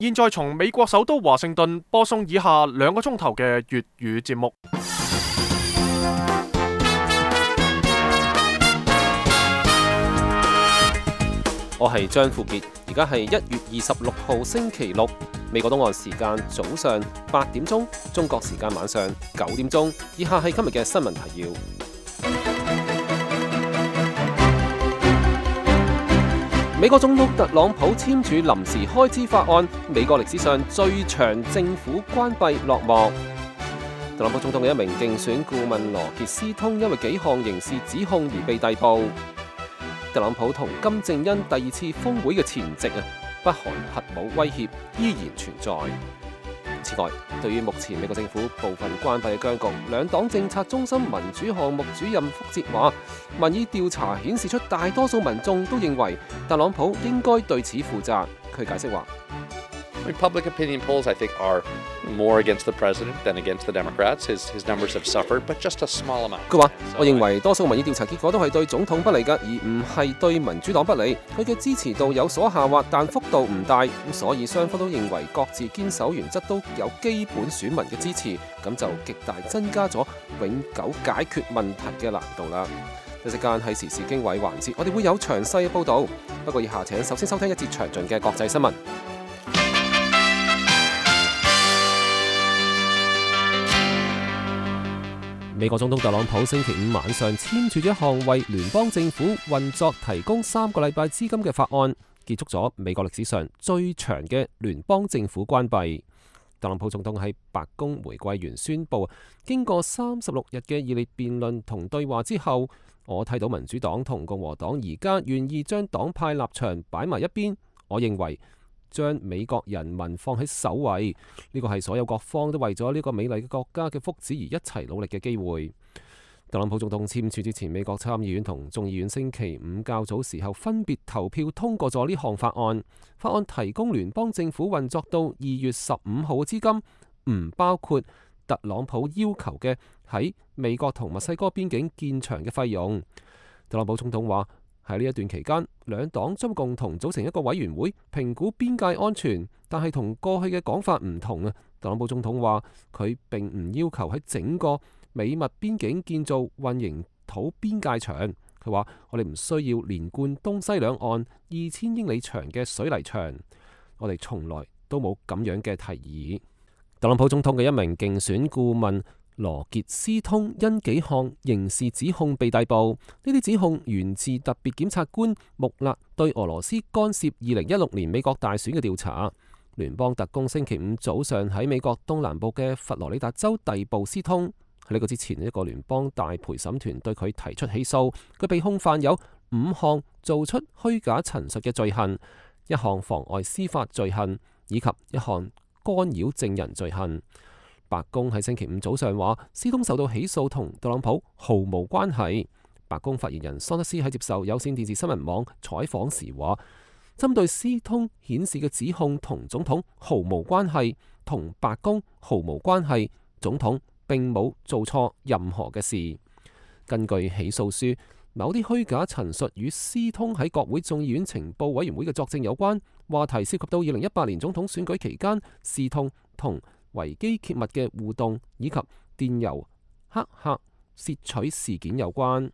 現在從美國首都華盛頓播送以下2個鐘頭嘅粵語節目。我係張富傑，而家係1月26號星期六，美國東岸時間早上8點鐘，中國時間晚上9點鐘。以下係今日嘅新聞提要。美國總統特朗普簽署臨時開支法案，美國歷史上最長政府關閉落幕。特朗普總統嘅一名競選顧問羅傑斯通因為幾項刑事指控而被逮捕。特朗普同金正恩第2次峰會嘅前夕北韓核武威脅依然存在。此外，對於目前美國政府部分關閉嘅僵局，兩黨政策中心民主項目主任福哲話，民意調查顯示出大多數民眾都認為特朗普應該對此負責。佢解釋話Public opinion polls, I think, are more against the president than against the Democrats. His numbers have suffered, but just a small amount. 佢話：我認為多數民意調查結果都係對總統不利㗎，而唔係對民主黨不利。佢嘅支持度有所下滑，但幅度唔大，所以雙方都認為各自堅守原則都有基本選民嘅支持，咁就極大增加咗永久解決問題嘅難度啦。一陣間係時事經緯環節，我哋會有詳細嘅報導。不過以下請首先收聽一節詳盡嘅國際新聞。美國總統特朗普星期五晚上簽署咗一項為聯邦政府運作提供3個禮拜資金嘅法案，結束咗美國歷史上最長嘅聯邦政府關閉。特朗普總統喺白宮玫瑰園宣布，經過36日嘅熱烈辯論同對話之後，我睇到民主黨同共和黨而家願意將黨派立場擺埋一邊。我認為將美國人民放喺首位，呢個係所有各方都為咗呢個美麗嘅國家嘅福祉而一齊努力嘅機會。特朗普總統簽署之前，美國參議院同眾議院星期五較早時候分別投票通過咗呢項法案。法案提供聯邦政府運作到2月15號嘅資金，唔包括特朗普要求嘅喺美國同墨西哥邊境建牆嘅費用。特朗普總統話，喺呢一段期間，兩黨將共同組成一個委員會評估邊界安全，但係同過去嘅講法唔同啊。特朗普總統話佢並唔要求喺整個美墨邊境建造混凝土邊界牆。佢話我哋唔需要連貫東西兩岸2000英里長嘅水泥牆，我哋從來都冇咁樣嘅提議。特朗普總統嘅一名競選顧問羅傑斯通因幾項刑事指控被逮捕，呢啲指控源自特別檢察官穆勒對俄羅斯干涉2016年美國大選嘅調查。聯邦特工星期五早上喺美國東南部嘅佛羅里達州逮捕斯通。喺呢個之前，一個聯邦大陪審團對佢提出起訴，佢被控犯有5項做出虛假陳述嘅罪行，1項妨礙司法罪行，以及1項干擾證人罪行。白宮喺星期五早上話，斯通受到起訴同特朗普毫無關係。白宮發言人桑德斯喺接受有線電視新聞網採訪時話，針對斯通顯示嘅指控同總統毫無關係，同白宮毫無關係，總統並冇做錯任何嘅事。根據起訴書，某啲虛假陳述與斯通喺國會眾議院情報委員會嘅作證有關，話題涉及到2018年總統選舉期間斯通同維基揭密嘅互動，以及電郵黑客竊取事件有關。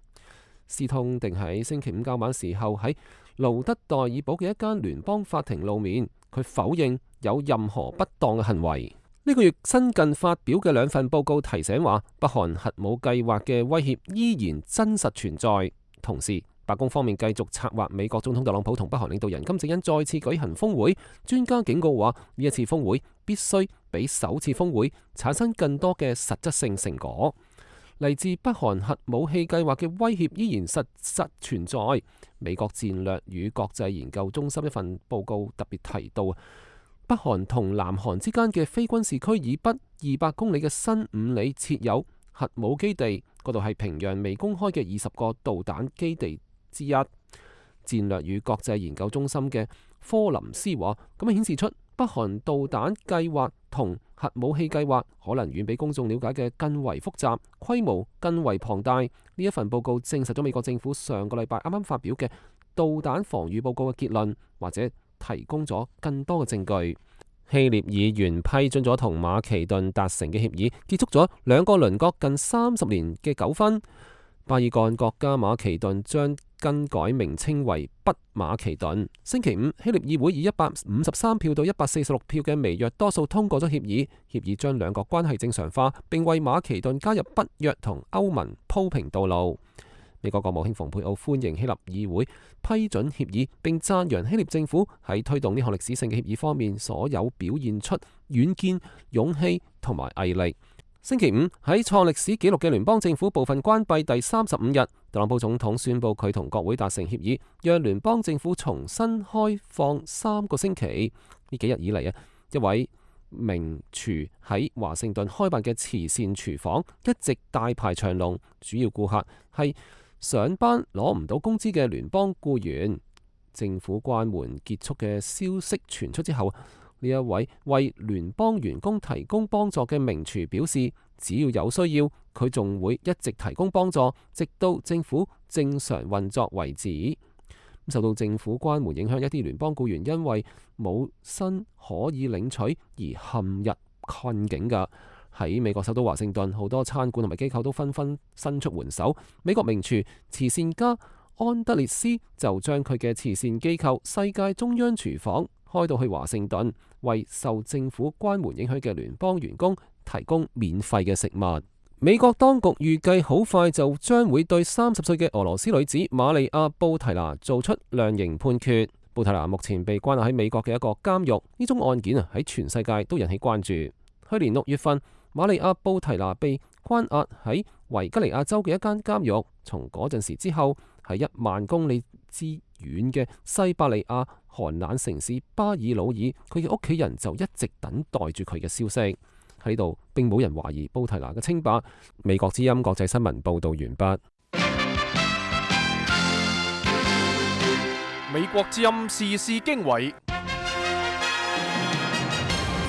斯通定喺星期五較晚時候喺盧德代爾堡嘅一間聯邦法庭露面，佢否認有任何不當嘅行為。呢個月新近發表嘅2份報告提醒話，北韓核武計劃嘅威脅依然真實存在。同時，白宮方面繼續策劃美國總統特朗普同北韓領導人金正恩再次舉行峰會。專家警告話，呢一次峰會必須比首次峰會產生更多嘅實質性成果。嚟自北韓核武器計劃嘅威脅依然實存在。美國戰略與國際研究中心一份報告特別提到，北韓同南韓之間嘅非軍事區以北200公里嘅新5里設有核武基地，嗰度係平壤未公開嘅20個導彈基地之一。戰略與國際研究中心嘅科林斯話，咁顯示出北韓導彈計劃同核武器計劃可能遠比公眾了解嘅更為複雜，規模更為龐大。呢一份報告證實咗美國政府上個禮拜啱啱發表嘅導彈防禦報告嘅結論，或者提供咗更多嘅證據。希臘議員批准咗同馬其頓達成嘅協議，結束咗兩個鄰國近30年嘅糾紛。巴爾幹國家馬其頓將更改名稱為北馬其頓。星期五，希臘議會以153票到146票嘅微弱多數通過咗協議，協議將兩國關係正常化，並為馬其頓加入北約同歐盟鋪平道路。美國國務卿蓬佩奧歡迎希臘議會批准協議，並讚揚希臘政府喺推動呢項歷史性嘅協議方面所有表現出遠見、勇氣同埋毅力。星期五，喺創歷史紀錄嘅聯邦政府部分關閉第35日，特朗普總統宣布佢同國會達成協議，讓聯邦政府重新開放3個星期。呢幾日以嚟一位名廚喺華盛頓開辦嘅慈善廚房一直大排長龍，主要顧客係上班攞唔到工資嘅聯邦僱員。政府關門結束嘅消息傳出之後，呢一位為聯邦員工提供幫助嘅名廚表示，只要有需要，佢仲會一直提供幫助，直到政府正常運作為止。受到政府關門影響，一啲聯邦僱員因為冇薪可以領取而陷入困境㗎。喺美國首都華盛頓，好多餐館同埋機構都紛紛伸出援手。美國名廚慈善家安德烈斯就將佢嘅慈善機構世界中央廚房開到去華盛頓，為受政府關門影響嘅聯邦員工提供免費嘅食物。美國當局預計好快就將會對30歲嘅俄羅斯女子瑪利亞布提娜做出量刑判決。布提娜目前被關押喺美國嘅一個監獄，呢宗案件喺全世界都引起關注。去年6月份，瑪利亞布提娜被關押喺維吉尼亞州嘅一間監獄，從嗰陣時之後，喺1萬公里之遠嘅西伯利亞寒冷城市巴爾魯爾，佢嘅屋企人就一直等待住佢嘅消息。喺度並冇人懷疑布提娜嘅清白。美國之音國際新聞報道完畢。美國之音時事經緯，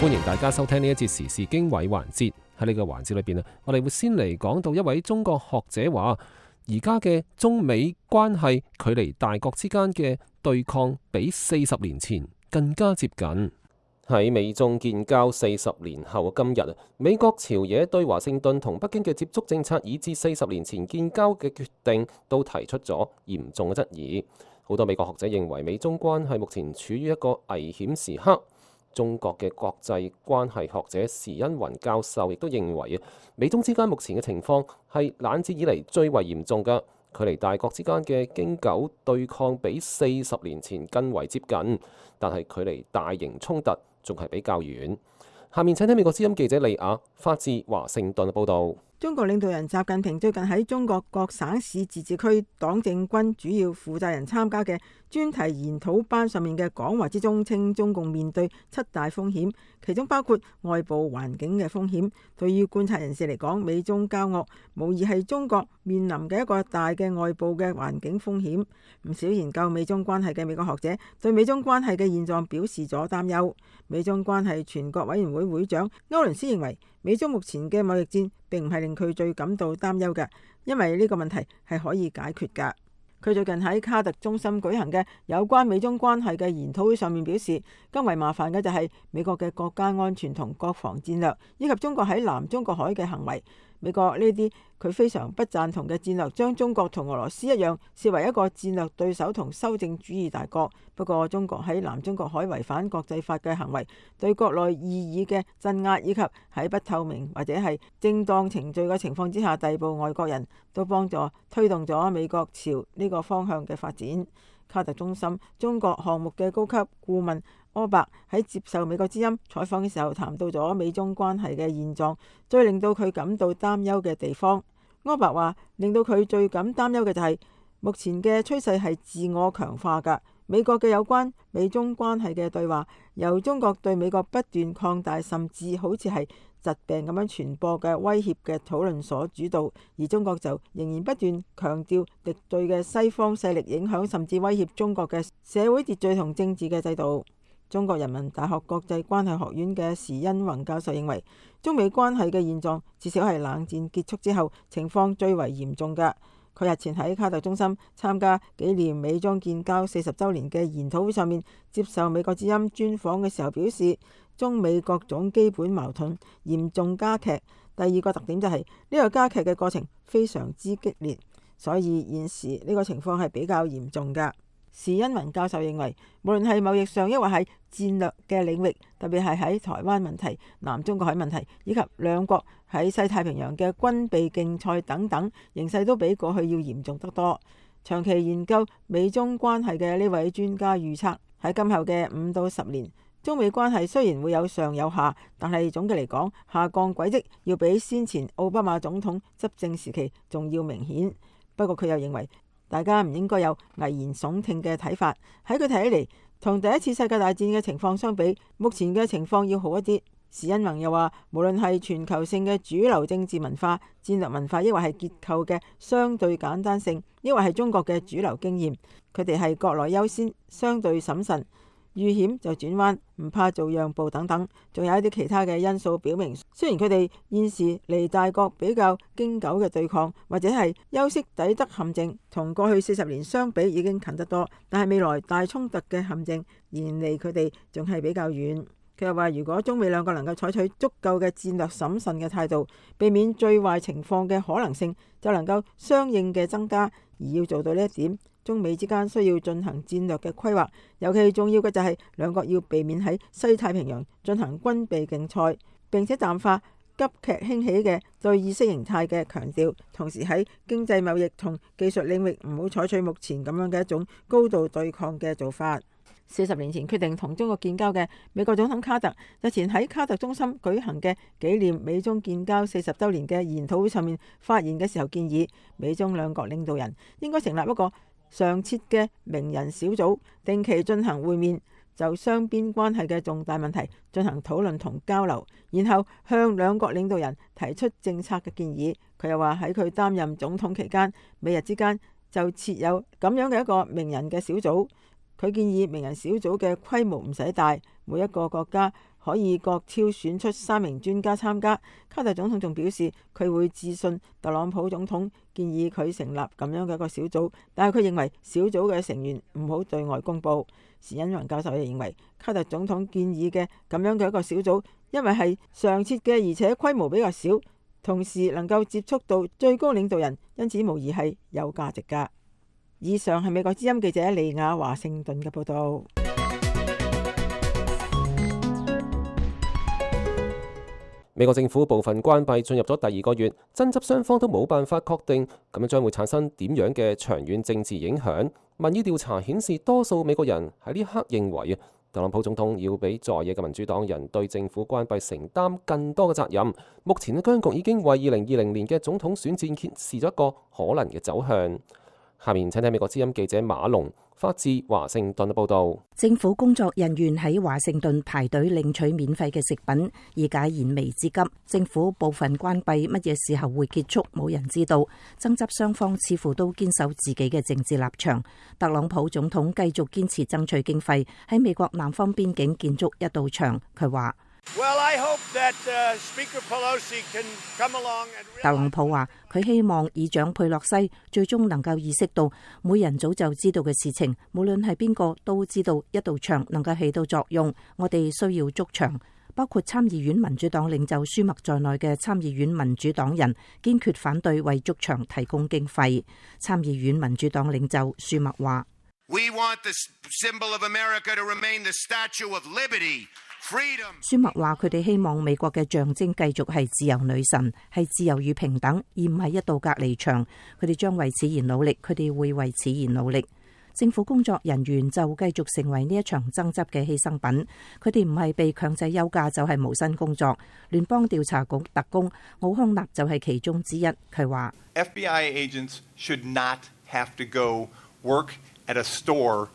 歡迎大家收聽呢一節時事經緯環節。喺呢個環節裏邊我哋會先嚟講到一位中國學者話，而家嘅中美關係距離大國之間嘅對抗比40年前更加接近。喺美中建交40年後嘅今日，美國朝野對華盛頓同北京嘅接觸政策，以至40年前建交嘅決定，都提出咗嚴重嘅質疑。好多美國學者認為，美中關係目前處於一個危險時刻。中國嘅國際關係學者時恩雲教授亦都認為，美中之間目前嘅情況係冷戰以嚟最為嚴重嘅，距離大國之間嘅經久對抗比40年前更為接近，但係距離大型衝突仲係比較遠。下面請聽美國之音記者李雅發自華盛頓嘅報導。中國領導人習近平最近喺中國各省市自治區黨政軍主要負責人參加嘅專題研討班上面嘅講話之中，稱中共面對7大風險，其中包括外部環境嘅風險。對於觀察人士嚟講，美中交惡無疑係中國面臨嘅一個大嘅外部嘅環境風險。唔少研究美中關係嘅美國學者對美中關係嘅現狀表示咗擔憂。美中關係全國委員會會長歐倫斯認為，美中目前嘅貿易戰並唔係令佢最感到擔憂嘅，因為呢個問題係可以解決㗎。佢最近喺卡特中心舉行嘅有關美中關係嘅研討會上面表示，更為麻煩嘅就係美國嘅國家安全同國防戰略，以及中國喺南中國海嘅行為。美國呢啲佢非常不贊同嘅戰略，將中國同俄羅斯一樣視為一個戰略對手同修正主義大國。不過，中國喺南中國海違反國際法嘅行為，對國內異議嘅鎮壓，以及喺不透明或者係正當程序嘅情況之下逮捕外國人，都幫助推動咗美國朝呢個方向嘅發展。卡特中心中國項目嘅高級顧問柯伯喺接受美國之音採訪嘅時候，談到咗美中關係嘅現狀，最令到佢感到擔憂嘅地方。柯伯話，令到佢最感擔憂嘅就係目前嘅趨勢係自我強化㗎。美國嘅有關美中關係嘅對話，由中國對美國不斷擴大，甚至好似係疾病咁樣傳播嘅威脅嘅討論所主導，而中國就仍然不斷強調敵對嘅西方勢力影響，甚至威脅中國嘅社會秩序同政治嘅制度。中國人民大學國際關係學院嘅時恩宏教授認為，中美關係嘅現狀至少係冷戰結束之後情況最為嚴重㗎。佢日前喺卡特中心參加紀念美中建交40週年嘅研討會上面接受美國之音專訪嘅時候表示，中美各種基本矛盾嚴重加劇。第二個特點就係呢個加劇嘅過程非常之激烈，所以現時呢個情況係比較嚴重㗎。史恩文教授認為，無論係貿易上抑或係戰略嘅領域，特別係喺台灣問題、南中國海問題以及兩國喺西太平洋嘅軍備競賽等等，形勢都比過去要嚴重得多。長期研究美中關係嘅呢位專家預測，喺今後嘅5到10年，中美關係雖然會有上有下，但係總嘅嚟講，下降軌跡要比先前奧巴馬總統執政時期仲要明顯。不過佢又認為，大家唔應該有危言聳聽嘅睇法。喺佢睇起嚟，同第一次世界大戰嘅情況相比，目前嘅情況要好一啲。史恩宏又話，無論係全球性嘅主流政治文化、戰略文化，抑或係結構嘅相對簡單性，抑或係中國嘅主流經驗，佢哋係國內優先、相對審慎，遇險就轉彎，唔怕做讓步等等，仲有一啲其他嘅因素表明，雖然佢哋現時離大國比較經久嘅對抗，或者係休昔底德陷阱，同過去40年相比已經近得多，但係未來大衝突嘅陷阱仍離佢哋仲係比較遠。佢又話，如果中美兩個能夠採取足夠嘅戰略審慎嘅態度，避免最壞情況嘅可能性，就能夠相應嘅增加。而要做到呢一點，中美之間需要進行戰略嘅規劃，尤其重要嘅就係兩國要避免喺西太平洋進行軍備競賽，並且淡化急劇興起嘅對意識形態嘅強調，同時喺經濟貿易同技術領域唔好採取目前咁樣嘅一種高度對抗嘅做法。40年前決定同中國建交嘅美國總統卡特，日前喺卡特中心舉行嘅紀念美中建交40週年嘅研討會上面發言嘅時候，建議美中兩國領導人應該成立一個常設嘅名人小組，定期進行會面，就雙邊關係嘅重大問題進行討論同交流，然後向兩國領導人提出政策嘅建議。佢又話喺佢擔任總統期間，美日之間就設有咁樣嘅一個名人嘅小組。佢建議名人小組嘅規模唔使大，每一個國家可以各挑選出3名專家參加。卡特總統仲表示，佢會致信特朗普總統，建議佢成立咁樣嘅一個小組，但係佢認為小組嘅成員唔好對外公佈。史恩雲教授亦認為，卡特總統建議嘅咁樣嘅一個小組，因為係常設嘅，而且規模比較少，同時能夠接觸到最高領導人，因此無疑係有價值㗎。以上係美國之音記者利亞華盛頓嘅報道。美國政府部分關閉進入咗第2個月，爭執雙方都冇辦法確定，咁樣將會產生點樣嘅長遠政治影響？民意調查顯示，多數美國人喺呢刻認為特朗普總統要比在野嘅民主黨人對政府關閉承擔更多嘅責任。目前嘅僵局已經為2020年嘅總統選戰揭示咗一個可能嘅走向。下面請睇美國之音記者馬龍發自華盛頓嘅報道。政府工作人員喺華盛頓排隊領取免費嘅食品，以解燃眉之急。政府部分關閉乜嘢時候會結束，冇人知道。爭執雙方似乎都堅守自己嘅政治立場。特朗普總統繼續堅持爭取經費，喺美國南方邊境建築一道牆。佢話特朗普話佢希望議長佩洛西最終能夠意識到每人早就知道嘅事情，無論係邊個都知道一道牆能夠起到作用。我哋需要築牆，包括參議院民主黨領袖舒默在內嘅參議院民主黨人堅決反對為築牆提供經費。參議院民主黨領袖舒默話舒默話：佢哋希望美國嘅象徵繼續係自由女神，係自由與平等，而唔係一道隔離牆。佢哋將為此而努力，佢哋會為此而努力。政府工作人員就繼續成為呢一場爭執嘅犧牲品。佢哋唔係被強制休假，就係無薪工作。聯邦調查局特工奧康納就係其中之一。佢話FBI agents should not have to go work at a store。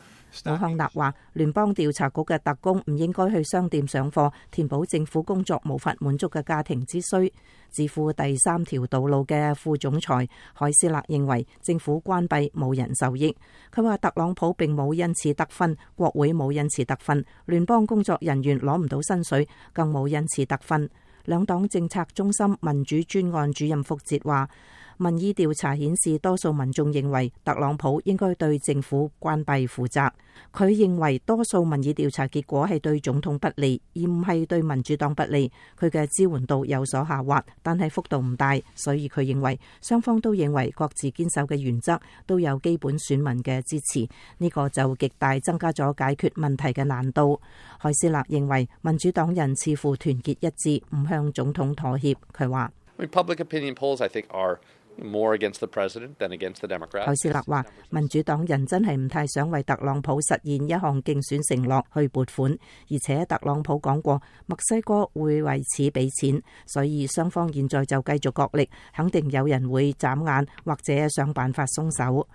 奧康納話，聯邦調查局嘅特工唔應該去商店上課，填補政府工作無法滿足嘅家庭之需。智庫第3條道路嘅副總裁海斯勒認為，政府關閉冇人受益。佢話特朗普並冇因此得分，國會冇因此得分，聯邦工作人員攞唔到薪水，更冇因此得分。兩黨政策中心民主專案主任福捷話，民意調查顯示，多數民眾認為特朗普應該對政府關閉負責。佢認為多數民意調查結果係對總統不利，而唔係對民主黨不利。佢嘅支援度有所下滑，但係幅度唔大，所以佢認為雙方都認為各自堅守嘅原則都有基本選民嘅支持。呢個就極大增加咗解決問題嘅難度。海斯勒認為民主黨人似乎團結一致，唔向總統妥協。佢話public opinion polls, I think, are more against the president than against the Democrats. 海斯勒話民主黨人真係唔太想為特朗普實現一項競選承諾去撥款，而且特朗普講過墨西哥會為此俾錢，所以雙方現在就繼續角力，肯定有人會眨眼或者想辦法鬆手。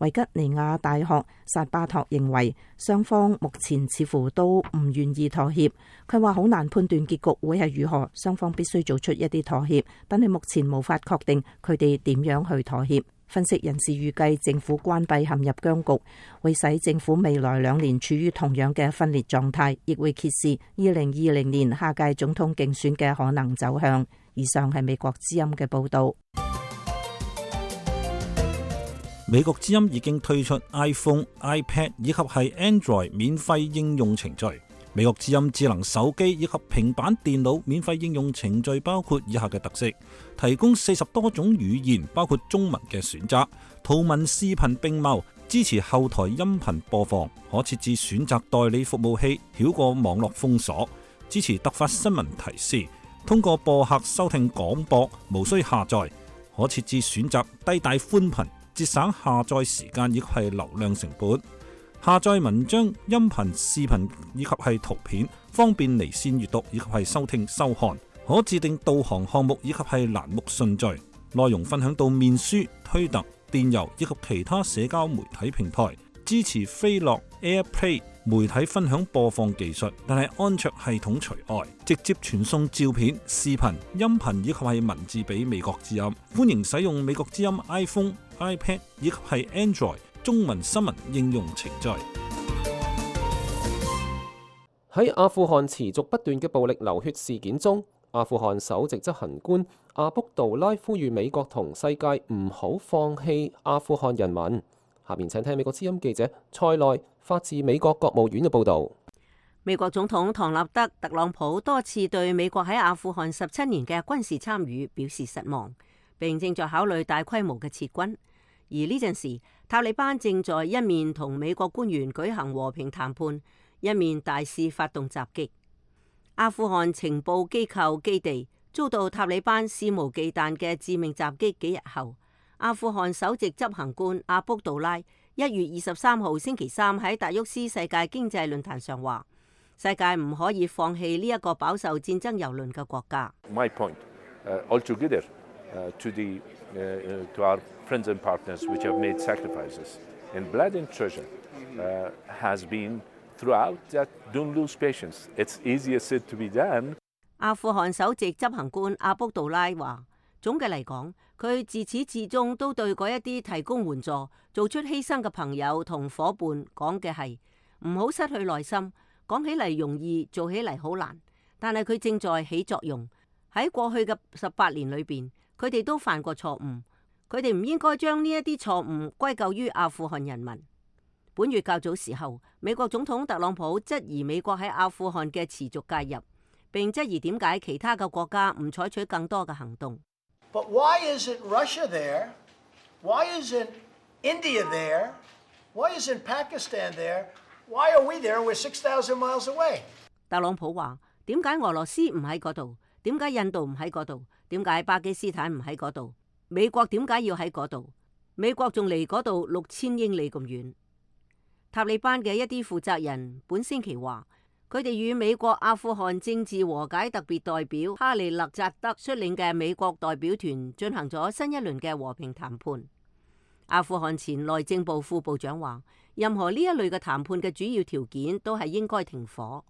維吉尼亞大學薩巴托認為雙方目前似乎都唔願意妥協。佢話好難判斷結局會係如何，雙方必須做出一啲妥協，但係目前無法確定佢哋點樣去妥協。分析人士預計政府關閉陷入僵局，會使政府未來2年處於同樣嘅分裂狀態，亦會揭示2020年下屆總統競選嘅可能走向。以上係美國之音嘅報導。美國之音已經推出 iPhone、iPad 以及係 Android 免費應用程序。美國之音智能手機以及平板電腦免費應用程序包括以下嘅特色：提供40多種語言，包括中文嘅選擇，圖文視頻並茂，支持後台音頻播放，可設置選擇代理服務器，繞過網絡封鎖，支持突發新聞提示，通過播客收聽廣播，無需下載，可設置選擇低帶寬頻，節省下載時間以及係流量成本。下載文章、音頻、視頻以及係圖片，方便離線閱讀以及係收聽收看。可自定導航項目以及係欄目順序。內容分享到面書、推特、電郵以及其他社交媒體平台。支持飛樂 AirPlay 媒體分享播放技術，但係安卓系統除外。直接傳送照片、視頻、音頻以及係文字俾美國之音。歡迎使用美國之音 iPhone、iPad 以及係 Android中文新聞應用程序。喺阿富汗持續不斷嘅暴力流血事件中，阿富汗首席執行官阿卜杜拉呼籲美國同世界唔好放棄阿富汗人民。下面請聽美國之音記者塞內發自美國國務院嘅報導。美國總統唐納德·特朗普多次對美國喺阿富汗17年嘅軍事參與表示失望，並正在考慮大規模嘅撤軍。而呢陣時，塔利班正在一面同美國官員舉行和平談判，一面大肆發動襲擊。阿富汗情報機構基地遭到塔利班肆無忌憚嘅致命襲擊幾日後，阿富汗首席執行官阿卜杜拉1月23號星期三喺達沃斯世界經濟論壇上話：世界唔可以放棄呢一個飽受戰爭蹂躪嘅國家。My point, altogether, to our friends and partners which have made sacrifices in blood and treasure, has been throughout that don't lose patience. It's easier said to be done. 阿富汗首席執行官阿卜杜拉話：總嘅嚟講，佢自始至終都對嗰一啲提供援助、做出犧牲嘅朋友同伙伴講嘅係唔好失去耐心。講起嚟容易，做起嚟好難。但係佢正在起作用。喺過去嘅18年裏邊，佢哋都犯過錯誤。佢哋唔應該將呢一啲錯誤歸咎於阿富汗人民。本月較早時候，美國總統特朗普質疑美國喺阿富汗嘅持續介入，並質疑點解其他嘅國家唔採取更多嘅行動。But why isn't Russia there? Why isn't India there? Why isn't Pakistan there? Why are we there? We're 6,000 miles away. 特朗普話：點解俄羅斯唔喺嗰度？點解印度唔喺嗰度？點解巴基斯坦唔喺嗰度？美國點解要喺嗰度？美國仲離嗰度6000英里咁遠。塔利班嘅一啲負責人本星期話，佢哋與美國阿富汗政治和解特別代表哈利勒扎德率領嘅美國代表團進行咗新一輪嘅和平談判。阿富汗前內政部副部長話，任何呢一類嘅談判嘅主要條件都係應該停火。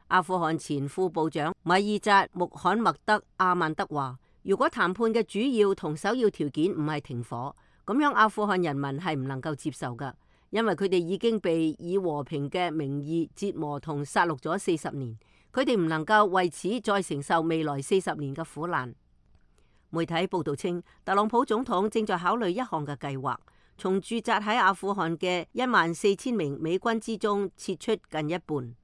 阿富汗前副部長米爾扎穆罕默德阿曼德話，如果談判嘅主要同首要條件唔係停火，咁樣阿富汗人民係唔能夠接受㗎，因為佢哋已經被以和平嘅名義折磨同殺戮咗40年，佢哋唔能夠為此再承受未來40年嘅苦難。媒體報道稱，特朗普總統正在考慮一項嘅計劃，從駐紮喺阿富汗嘅14,000名美軍之中撤出近一半。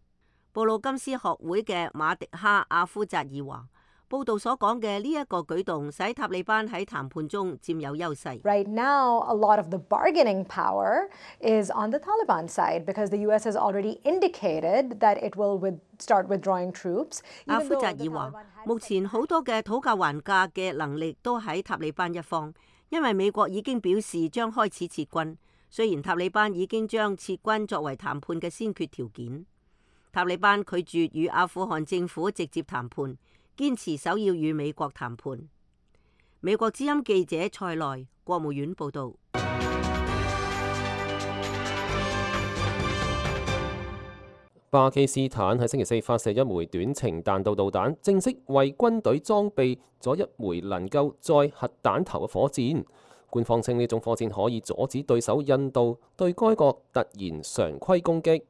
布魯金斯學會嘅馬迪哈阿夫扎爾話，報道所講嘅呢一個舉動使塔利班喺談判中佔有優勢。Right now, a lot of the bargaining power is on the Taliban side because the U.S. has already indicated that it will start withdrawing troops. 阿夫扎爾話，目前好多嘅討價還價嘅能力都喺塔利班一方，因為美國已經表示將開始撤軍。雖然塔利班已經將撤軍作為談判嘅先決條件，塔利班拒絕與阿富汗政府直接談判，堅持首要與美國談判。美國之音記者塞內，國務院報導。巴基斯坦喺星期四發射一枚短程彈道導彈，正式為軍隊裝備咗一枚能夠載核彈頭嘅火箭。官方稱呢種火箭可以阻止對手印度對該國突然常規攻擊。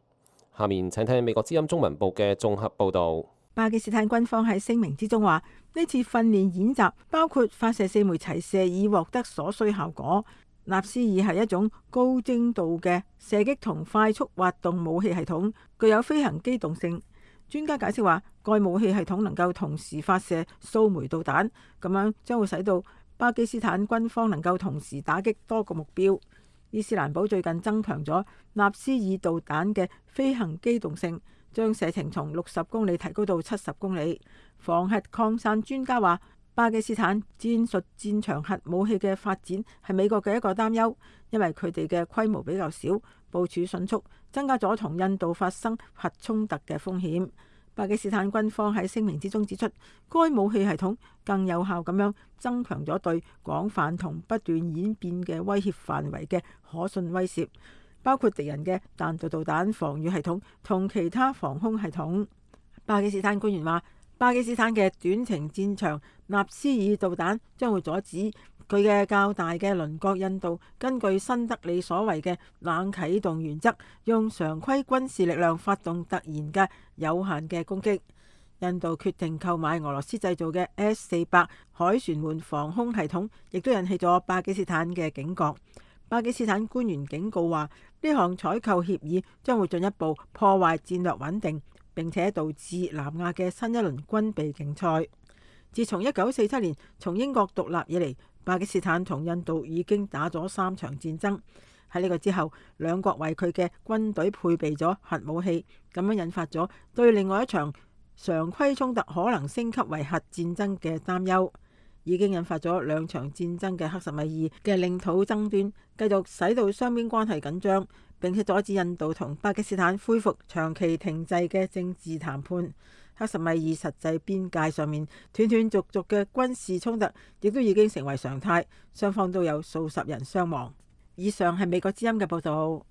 下面請聽美國之音中文部嘅綜合報導。巴基斯坦軍方喺聲明之中話，呢次訓練演習包括發射4枚齊射以獲得所需效果。納斯爾係一種高精度嘅射擊同快速滑動武器系統，具有飛行機動性。專家解釋話，該武器系統能夠同時發射數枚導彈，咁樣將會使到巴基斯坦軍方能夠同時打擊多個目標。伊斯蘭堡最近增強咗納斯爾導彈嘅飛行機動性，將射程從60公里提高到70公里。防核擴散專家話，巴基斯坦戰術戰場核武器嘅發展係美國嘅一個擔憂，因為佢哋嘅規模比較小，部署迅速，增加咗同印度發生核衝突嘅風險。巴基斯坦軍方喺聲明之中指出，該武器系統更有效咁樣增強咗對廣泛同不斷演變嘅威脅範圍嘅可信威懾，包括敵人嘅彈道導彈防禦系統同其他防空系統。巴基斯坦官員話，巴基斯坦嘅短程戰場納斯爾導彈將會阻止佢嘅較大嘅鄰國印度根據新德里所謂嘅冷啟動原則，用常規軍事力量發動突然嘅有限嘅攻擊。印度決定購買俄羅斯製造嘅 S-400凱旋門防空系統，亦都引起咗巴基斯坦嘅警覺。巴基斯坦官員警告話，呢項採購協議將會進一步破壞戰略穩定，並且導致南亞嘅新一輪軍備競賽。自從1947年從英國獨立以嚟，巴基斯坦同印度已經打咗3場戰爭。喺呢個之後，兩國為佢嘅軍隊配備咗核武器，咁樣引發咗對另外一場常規衝突可能升級為核戰爭嘅擔憂，已經引發咗2場戰爭嘅克什米爾嘅領土爭端，繼續使到雙邊關係緊張，並且阻止印度同巴基斯坦恢復長期停滯嘅政治談判。克什米爾實際邊界上面斷斷續續嘅軍事衝突，亦都已經成為常態，雙方都有數十人傷亡。以上係美國之音嘅報導。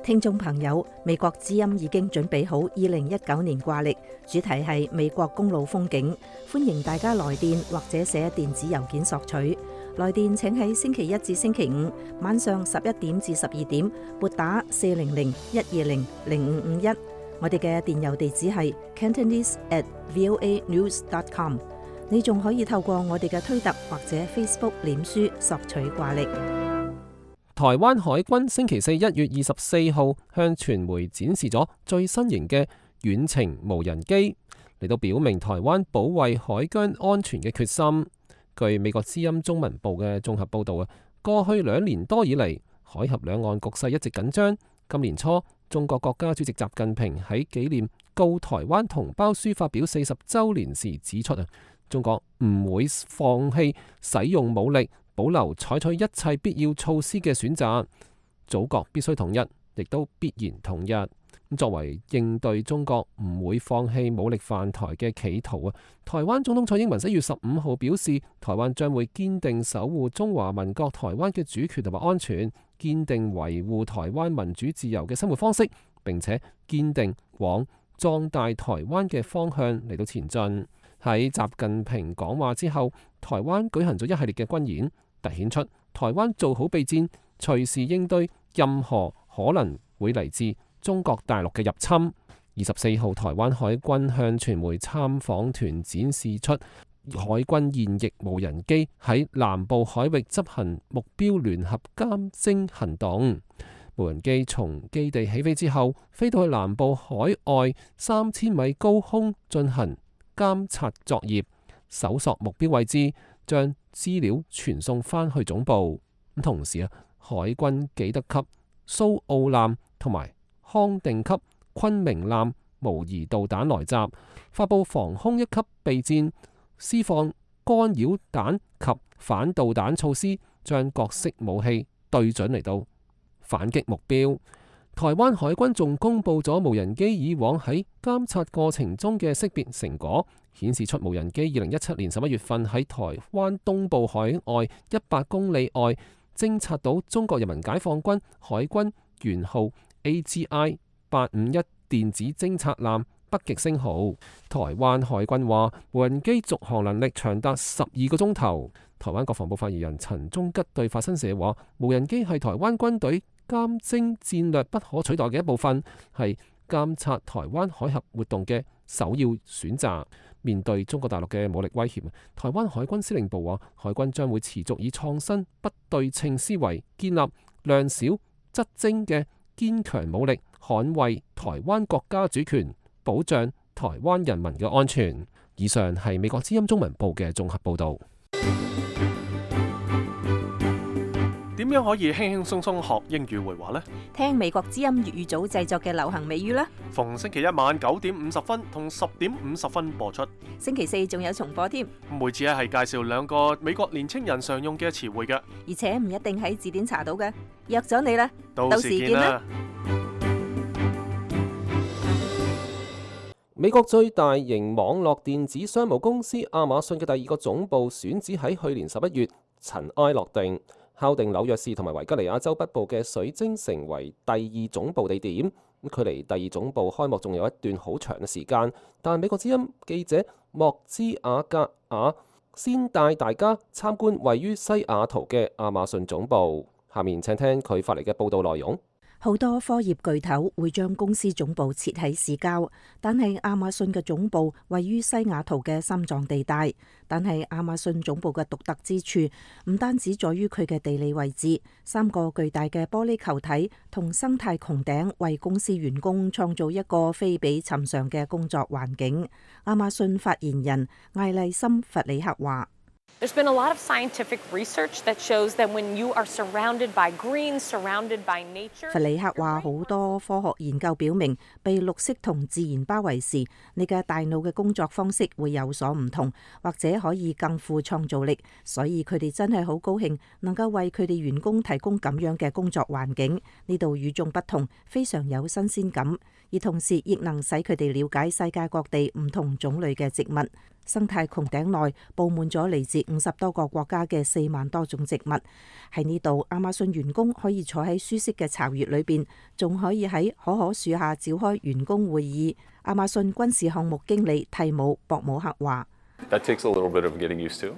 聽眾朋友，美國之音已經準備好2019年掛曆，主題係美國公路風景，歡迎大家來電或者寫電子郵件索取。來電請喺星期一至星期五晚上11點至12點撥打400-120-0551。我哋嘅電郵地址係 cantonese@voanews.com。你仲可以透過我哋嘅推特或者 Facebook 臉書索取掛曆。台灣海軍星期四1月24號向傳媒展示咗最新型嘅遠程無人機，嚟到表明台灣保衛海疆安全嘅決心。據美國之音中文部嘅綜合報導啊，過去2年多以嚟，海峽兩岸局勢一直緊張。今年初，中國國家主席習近平喺紀念告台灣同胞書發表40週年時指出啊，中國唔會放棄使用武力，保留採取一切必要措施嘅選擇。祖國必須統一，亦都必然統一。作為應對中國唔會放棄武力犯台嘅企圖啊，台灣總統蔡英文1月15號表示，台灣將會堅定守護中華民國台灣嘅主權同埋安全，堅定維護台灣民主自由嘅生活方式，並且堅定往壯大台灣嘅方向嚟到前進。喺習近平講話之後，台灣舉行咗一系列嘅軍演，凸顯出台灣做好備戰，隨時應對任何可能會嚟自中國大陸嘅入侵。24號，台灣海軍向傳媒參訪團展示出海軍現役無人機喺南部海域執行目標聯合監偵行動。無人機從基地起飛之後，飛到去南部海外3000米高空進行監察作業，搜索目標位置，將資料傳送返去總部。同時海軍紀德級蘇澳艦同埋康定級昆明艦模擬導彈來襲，發佈防空一級備戰，施放干擾彈及反導彈措施，將各式武器對準嚟到反擊目標。台灣海軍仲公布咗無人機以往喺監察過程中嘅識別成果，顯示出無人機2017年11月份喺台灣東部海外100公里外偵察到中國人民解放軍海軍元號 AGI-851 電子偵察艦北極星號。台灣海軍話無人機續航能力長達12個鐘頭。台灣國防部發言人陳忠吉對法新社話，無人機係台灣軍隊監偵戰略不可取代嘅一部分，係監察台灣海峽活動嘅首要選擇。面對中國大陸嘅武力威脅，台灣海軍司令部話，海軍將會持續以創新不對稱思維，建立量少質精嘅堅強武力，捍衛台灣國家主權，保障台灣人民嘅安全。以上係美國之音中文部嘅綜合報導。點樣可以輕輕鬆鬆學英語會話呢？聽美國之音粵語組製作嘅流行美語啦！逢星期一晚9點50分同10點50分播出，星期四仲有重播添。每次係介紹2個美國年青人常用嘅詞彙嘅，而且唔一定喺字典查到嘅。約咗你啦，到時見啦！美國最大型網絡電子商務公司亞馬遜嘅第2個總部選址喺去年11月塵埃落定，敲定紐約市同埋維吉尼亞州北部嘅水晶成為第2總部地點。距離第2總部開幕仲有一段好長嘅時間，但美國之音記者莫茲亞格亞先帶大家參觀位於西雅圖嘅亞馬遜總部。下面請聽佢發嚟嘅報道內容。好多科業巨頭會將公司總部設喺市郊，但係亞馬遜嘅總部位於西雅圖嘅心臟地帶。但係亞馬遜總部嘅獨特之處唔單止在於佢嘅地理位置，3個巨大嘅玻璃球體同生態穹頂為公司員工創造一個非比尋常嘅工作環境。亞馬遜發言人艾麗森·弗里克話：There's been a lot of scientific research that shows that when you are surrounded by green, surrounded by nature。弗里克話：好多科學研究表明，被綠色同自然包圍時，你嘅大腦嘅工作方式會有所唔同，或者可以更富創造力。所以佢哋真係好高興能夠為佢哋員工提供咁樣嘅工作環境。呢度與眾不同，非常有新鮮感，而同時亦能使佢哋了解世界各地唔同種類嘅植物。生態穹頂內佈滿咗嚟自50多個國家嘅4萬多種植物。喺呢度，亞馬遜員工可以坐喺舒適嘅巢穴裏邊，仲可以喺可可樹下召開員工會議。亞馬遜軍事項目經理蒂姆·博姆克話：That takes a little bit of getting used to,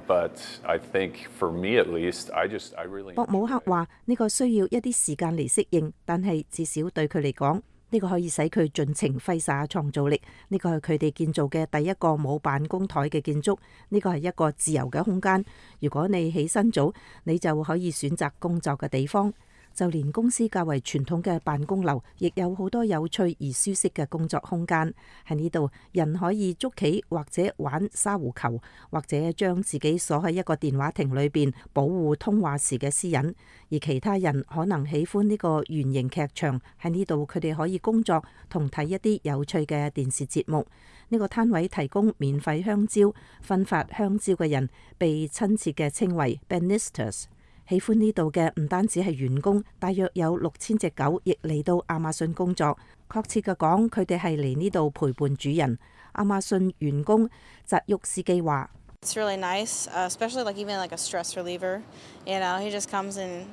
but I think for me at least, I really。博姆克話：呢個需要一啲時間嚟適應，但係至少對佢嚟講，呢個可以使佢盡情揮灑創造力。呢個係佢哋建造嘅第一個冇辦公台嘅建築。呢個係一個自由嘅空間。如果你起身早，你就可以選擇工作嘅地方。就連公司較為傳統嘅辦公樓，亦有好多有趣而舒適嘅工作空間。喺呢度，人可以捉棋或者玩沙壺球，或者將自己鎖喺一個電話亭裏邊，保護通話時嘅私隱。而其他人可能喜歡呢個圓形劇場。喺呢度，佢哋可以工作同睇一啲有趣嘅電視節目。呢個攤位提供免費香蕉，分發香蕉嘅人被親切嘅稱為 Banistas。喜歡呢度嘅唔單止係員工，大約有6000隻狗亦嚟到亞馬遜工作。確切嘅講，佢哋係嚟呢度陪伴主人。亞馬遜員工澤沃斯基話：It's really nice, especially like even like a stress reliever. You know, he just comes and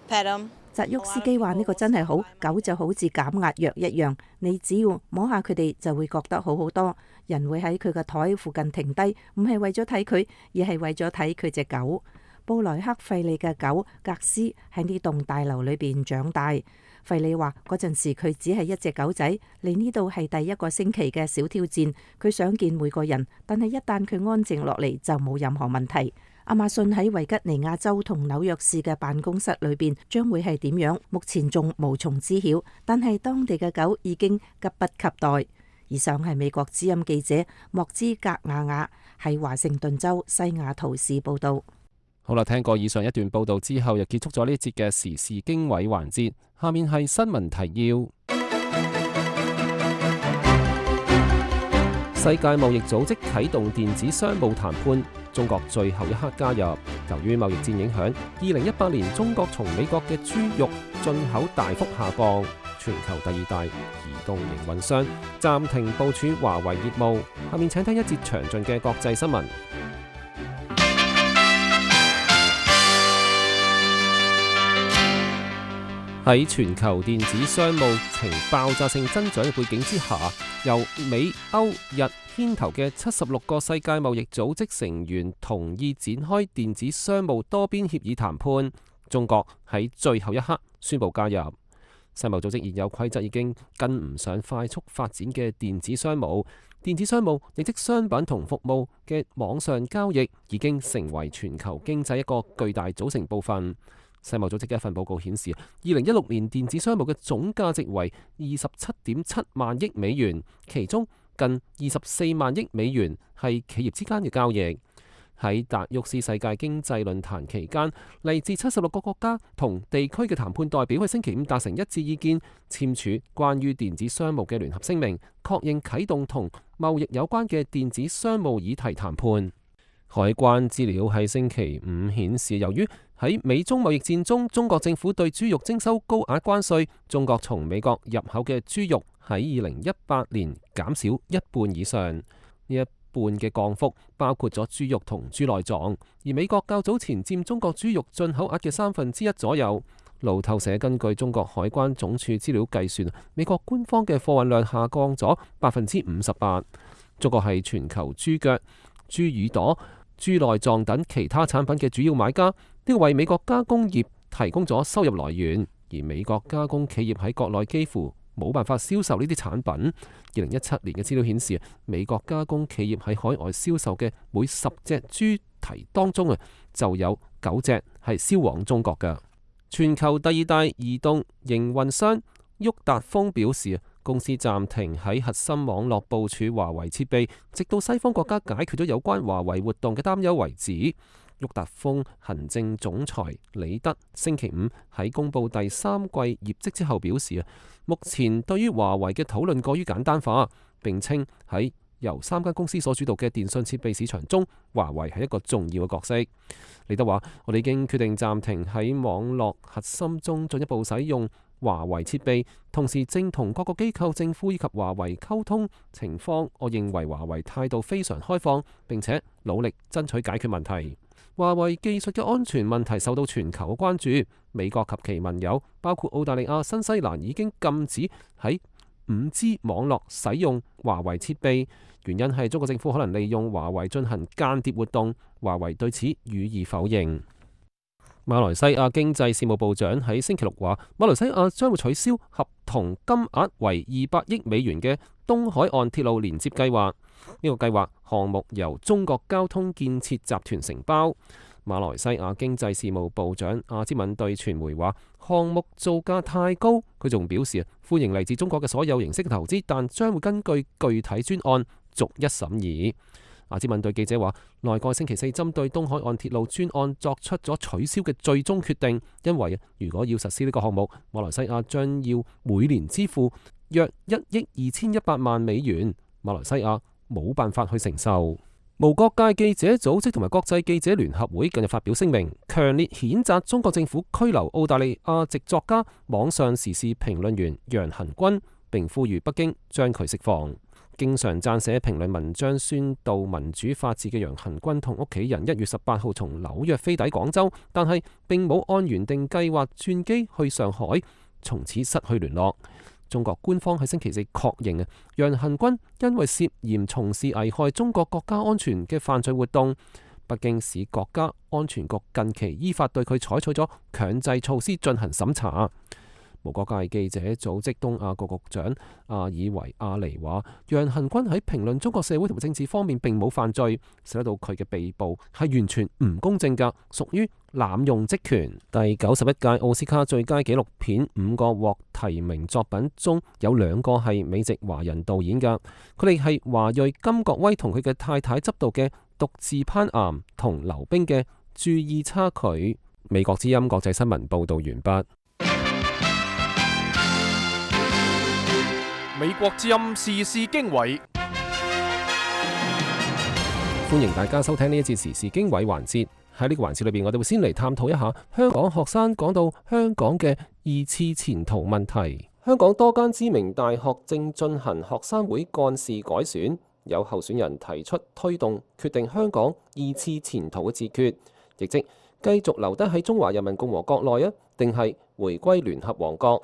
pet him. 澤沃斯基話：呢個真係好，狗就好似減壓藥一樣，你只要摸下佢哋就會覺得好好多。人會喺佢嘅台附近停低，唔係為咗睇佢，而係為咗睇佢隻狗。布萊克費利嘅狗格斯喺呢棟大樓裏邊長大。費里話嗰陣時佢只係一隻狗仔，嚟呢度係第一個星期嘅小挑戰，佢想見每個人，但係一旦佢安靜落嚟就冇任何問題。亞馬遜喺維吉尼亞州同紐約市嘅辦公室裏邊將會係點樣，目前仲無從知曉，但係當地嘅狗已經急不及待。以上係美國之音記者莫茲格亞亞喺華盛頓州西雅圖市報道。好啦，聽過以上一段報道之後，又結束咗呢一節嘅時事經緯環節。下面係新聞提要。世界貿易組織啟動電子商務談判，中國最後一刻加入。由於貿易戰影響，2018年中國從美國嘅豬肉進口大幅下降，全球第二大移動營運商暫停部署華為業務。下面請聽一節詳盡嘅國際新聞。喺全球電子商務呈爆炸性增長嘅背景之下，由美、歐、日牽頭嘅76個世界貿易組織成員同意展開電子商務多邊協議談判。中國喺最後一刻宣布加入。世貿組織現有規則已經跟唔上快速發展嘅電子商務。電子商務亦即商品同服務嘅網上交易已經成為全球經濟一個巨大組成部分。世貿組織嘅一份報告顯示，2016年電子商務嘅總價值為27.7萬億美元，其中近24萬億美元係企業之間嘅交易。喺達沃斯世界經濟論壇期間，嚟自76個國家同地區嘅談判代表喺星期五達成一致意見，簽署關於電子商務嘅聯合聲明，確認啟動同貿易有關嘅電子商務議題談判。海關資料喺星期五顯示，由於喺美中貿易戰中，中國政府對豬肉徵收高額關稅，中國從美國入口嘅豬肉喺2018年減少一半以上。呢一半嘅降幅包括咗豬肉同豬內臟，而美國較早前佔中國豬肉進口額嘅1/3左右。路透社根據中國海關總署資料計算，美國官方嘅貨運量下降咗58%。中國係全球豬腳、豬耳朵、豬內臟等其他產品嘅主要買家，呢個為美國加工業提供咗收入來源，而美國加工企業喺國內幾乎冇辦法銷售呢啲產品。2017年嘅資料顯示，美國加工企業喺海外銷售嘅每10隻豬蹄當中就有9隻係銷往中國嘅。全球第二大移動營運商沃達豐表示，公司暫停喺核心網絡部署華為設備，直到西方國家解決咗有關華為活動嘅擔憂為止。沃達豐行政總裁李德星期五喺公布第三季業績之後表示，目前對於華為嘅討論過於簡單化，並稱喺由3間公司所主導嘅電信設備市場中，華為係一個重要嘅角色。李德話：我哋已經決定暫停喺網絡核心中進一步使用華為設備，同時正同各個機構、政府以及華為溝通情況。我認為華為態度非常開放，並且努力爭取解決問題。華為技術嘅安全問題受到全球嘅關注，美國及其盟友包括澳大利亞、新西蘭已經禁止喺5G 網絡使用華為設備，原因係中國政府可能利用華為進行間諜活動。華為對此予以否認。馬來西亞經濟事務部長喺星期六話，馬來西亞將會取消合同金額為200億美元嘅東海岸鐵路連接計劃。呢個計劃項目由中國交通建設集團承包。馬來西亞經濟事務部長阿茲敏對傳媒話，項目造價太高。佢仲表示歡迎嚟自中國嘅所有形式嘅投資，但將會根據具體專案逐一審議。阿茲敏對記者話，內閣星期4針對東海岸鐵路專案作出咗取消嘅最終決定，因為如果要實施呢個項目，馬來西亞將要每年支付約1億2100萬美元，馬來西亞冇辦法去承受。無國界記者組織同埋國際記者聯合會近日發表聲明，強烈譴責中國政府拘留澳大利亞籍作家、網上時事評論員楊恆均，並呼籲北京將佢釋放。經常撰寫評論文章宣導民主法治嘅楊恆均同屋企人1月18號從紐約飛抵廣州，但係並冇按原定計劃轉機去上海，從此失去聯絡。中國官方喺星期4確認楊恆均因為涉嫌從事危害中國國家安全嘅犯罪活動，北京市國家安全局近期依法對佢採取咗強制措施進行審查。無國界記者組織東亞局局長阿爾維亞尼話，楊恆均喺評論中國社會同政治方面並冇犯罪，使到佢嘅被捕係完全唔公正㗎，屬於濫用職權。第91屆奧斯卡最佳紀錄片5個獲提名作品中有2個係美籍華人導演㗎，佢哋係華裔金國威同佢嘅太太執導嘅《獨自攀岩》同劉冰嘅《注意差距》。美國之音國際新聞報導完畢。美國之音時事經緯，歡迎大家收聽呢一節時事經緯環節。喺呢個環節裏邊，我哋會先嚟探討一下香港學生講到香港嘅2次前途問題。香港多間知名大學正進行學生會幹事改選，有候選人提出推動決定香港2次前途嘅自決，亦即繼續留低喺中華人民共和國內啊，定係回歸聯合王國？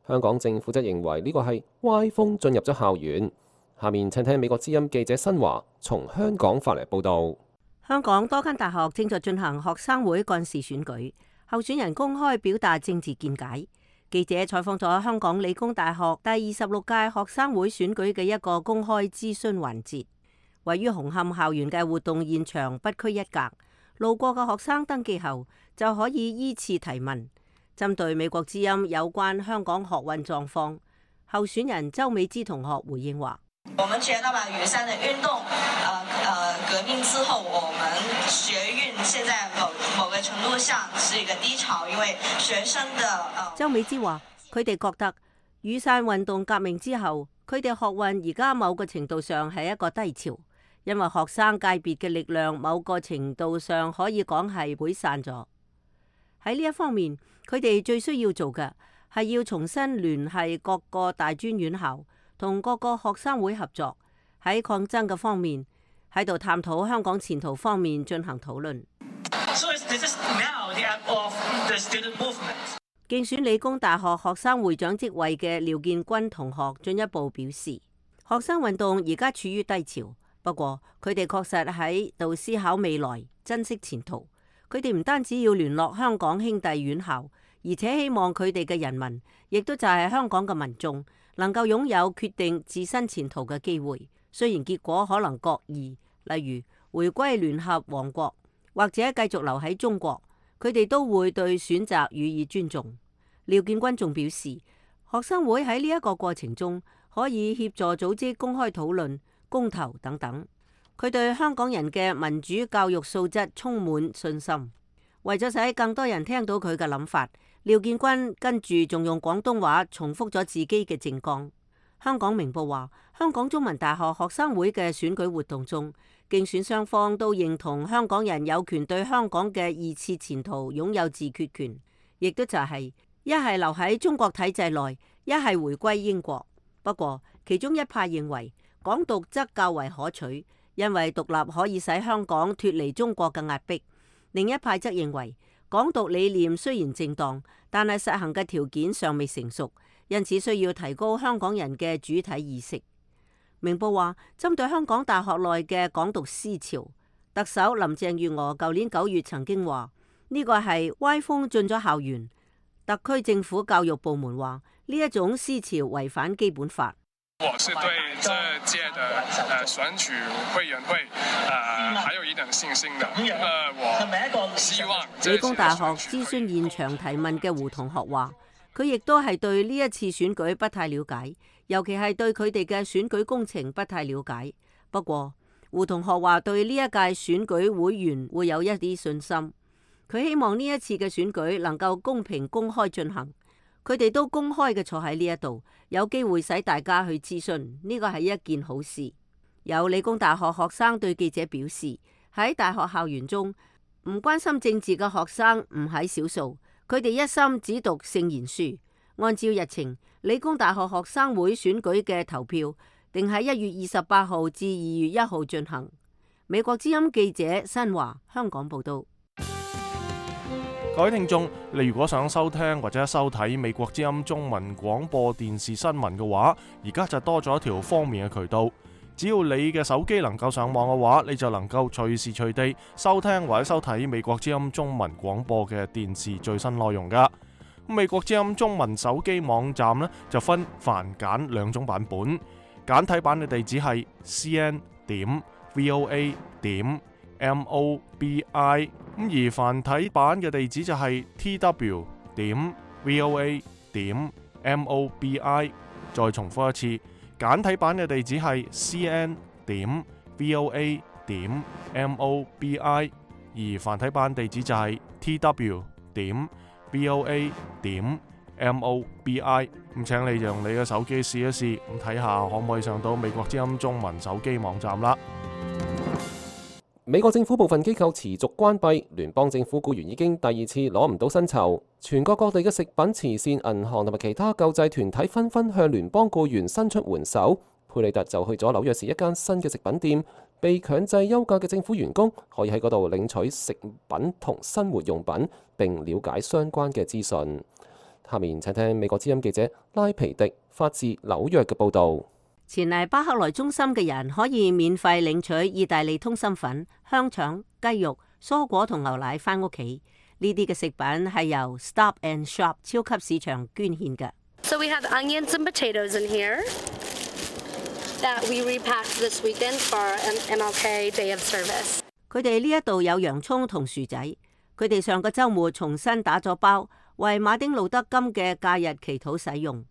香港政府則認為呢個係歪風進入咗校園。下面請聽美國之音記者新華從香港發嚟報導。香港多間大學正在進行學生會幹事選舉，候選人公開表達政治見解。記者採訪咗香港理工大學第26屆學生會選舉嘅一個公開諮詢環節，位於紅磡校園嘅活動現場不拘一格，路過嘅學生登記後就可以依次提問。針對美國之音有關香港學運狀況，候選人周美芝同學回應話：我們覺得吧，雨傘的運動，革命之後，我們學運現在某個程度上是一個低潮，因為學生的周美芝話：佢哋覺得雨傘運動革命之後，佢哋學運而家某個程度上係一個低潮，因為學生界別嘅力量某個程度上可以講係潰散咗。喺呢一方面，佢哋最需要做嘅係要重新聯繫各個大專院校，同各個學生會合作，喺抗爭嘅方面喺度探討香港前途方面進行討論。競選理工大學學生會長職位嘅廖建軍同學進一步表示，學生運動而家處於低潮，不過佢哋確實喺度思考未來，珍惜前途。佢哋唔單止要聯絡香港兄弟院校，而且希望佢哋嘅人民，亦都就係香港嘅民眾，能夠擁有決定自身前途嘅機會。雖然結果可能各異，例如回歸聯合王國或者繼續留喺中國，佢哋都會對選擇予以尊重。廖建軍仲表示，學生會喺呢一個過程中可以協助組織公開討論、公投等等。佢對香港人嘅民主教育素質充滿信心。為咗使更多人聽到佢嘅諗法，廖建軍跟住仲用廣東話重複咗自己嘅政綱。香港明報話，香港中文大學學生會嘅選舉活動中，競選雙方都認同香港人有權對香港嘅2次前途擁有自決權，亦都就係一係留喺中國體制內，一係回歸英國。不過其中一派認為港獨則較為可取，因為獨立可以使香港脫離中國嘅壓迫。另一派則認為港獨理念雖然正當，但係實行嘅條件尚未成熟，因此需要提高香港人嘅主體意識。明報話，針對香港大學內嘅港獨思潮，特首林鄭月娥舊年9月曾經話呢個係歪風進咗校園。特區政府教育部門話呢一種思潮違反基本法。我是對這屆的選舉委員會還有一點信心的。我希望理工大學諮詢現場提問嘅胡同學話，佢亦都係對呢一次選舉不太了解，尤其係對佢哋嘅選舉工程不太了解。不過胡同學話對呢一屆選舉會員會有一啲信心，佢希望呢一次嘅選舉能夠公平公開進行。佢哋都公開嘅坐喺呢一度，有機會使大家去諮詢，呢個係一件好事。有理工大學學生對記者表示，喺大學校園中唔關心政治嘅學生唔喺少數，佢哋一心只讀聖賢書。按照日程，理工大學學生會選舉嘅投票定喺1月28號至2月1號進行。美國之音記者新華香港報道。各位聽眾，你如果想收聽或者收睇美國之音中文廣播電視新聞嘅話，而家就多咗一條方便嘅渠道。只要你嘅手機能夠上網嘅話，你就能夠隨時隨地收聽或者收睇美國之音中文廣播嘅電視最新內容噶。美國之音中文手機網站呢就分繁簡兩種版本，簡體版嘅地址係 cn.voa.mobi， 而繁體版嘅地址就係 tw.voa.mobi。再重複一次，簡體版嘅地址係 cn.voa.mobi， 而繁體版地址就係 tw.voa.mobi。咁請你用你嘅手機試一試，咁睇下可唔可以上到美國之音中文手機網站啦。美國政府部分機構持續關閉，聯邦政府僱員已經第二次攞唔到薪酬。全國各地嘅食品慈善銀行同埋其他救濟團體紛紛向聯邦僱員伸出援手。佩里特就去咗紐約市一間新嘅食品店，被強制休假嘅政府員工可以喺嗰度領取食品同生活用品，並了解相關嘅資訊。下面請聽美國之音記者拉皮迪發自紐約嘅報導。前嚟巴克萊中心嘅人可以免費領取意大利通心粉、香腸、雞肉、蔬果同牛奶返屋企。呢啲嘅食品係由 Stop and Shop 超級市場捐獻嘅。So we have onions and potatoes in here that we repacked this weekend for our MLK Day of Service. 佢哋呢一度有洋葱同薯仔，佢哋上個週末重新打咗包，為馬丁路德金嘅假日祈禱使用。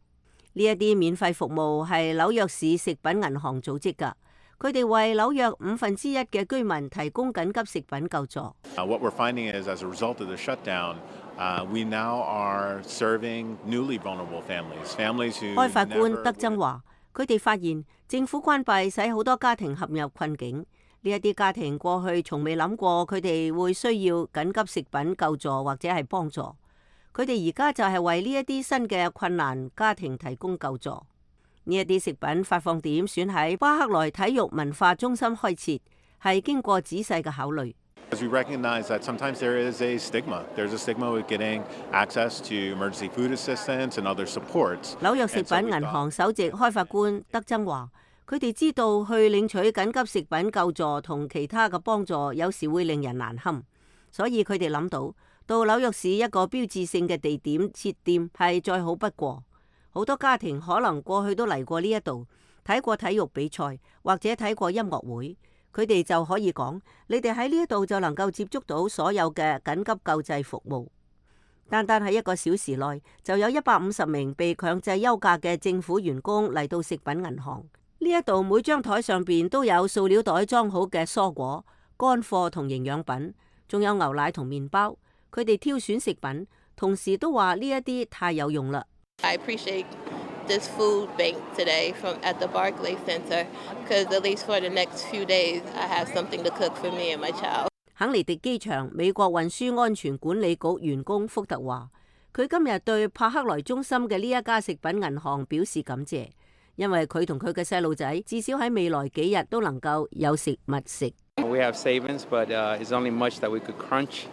呢一啲免費服務係紐約市食品銀行組織㗎，佢哋為紐約1/5嘅居民提供緊急食品救助。What we're finding is, as a result of the shutdown, we now are serving newly vulnerable families who 開發官德增話，佢哋發現政府關閉使好多家庭陷入困境。呢一啲家庭過去從未諗過佢哋會需要緊急食品救助或者係幫助。佢哋而家就係為呢一啲新嘅困難家庭提供救助。呢一啲食品發放點選喺巴克萊體育文化中心開設，係經過仔細嘅考慮。We recognize that sometimes there is a stigma. There's a stigma with getting access to emergency food assistance and other supports. 紐約食品銀行首席開發官德增話，佢哋知道去領取緊急食品救助同其他嘅幫助有時會令人難堪，所以佢哋諗到紐約市一個標誌性嘅地點設店係再好不過。好多家庭可能過去都嚟過呢一度，睇過體育比賽或者睇過音樂會，佢哋就可以講，你哋喺呢一度就能夠接觸到所有嘅緊急救濟服務。單單喺1個小時內，就有150名被強制休假嘅政府員工嚟到食品銀行。呢一度每張台上邊都有塑料袋裝好嘅蔬果、乾貨同營養品，仲有牛奶同麵包。佢哋挑選食品，同時都話呢一啲太有用啦。I appreciate this food bank today at the Barclays Center, because at least for the next few days, I have something to cook for me and my child. 肯尼迪機場美國運輸安全管理局員工福特話，佢今日對帕克萊中心嘅呢一家食品銀行表示感謝，因為佢同佢嘅細路仔至少喺未來幾日都能夠有食物食。We have savings, but it's only much that we could crunch,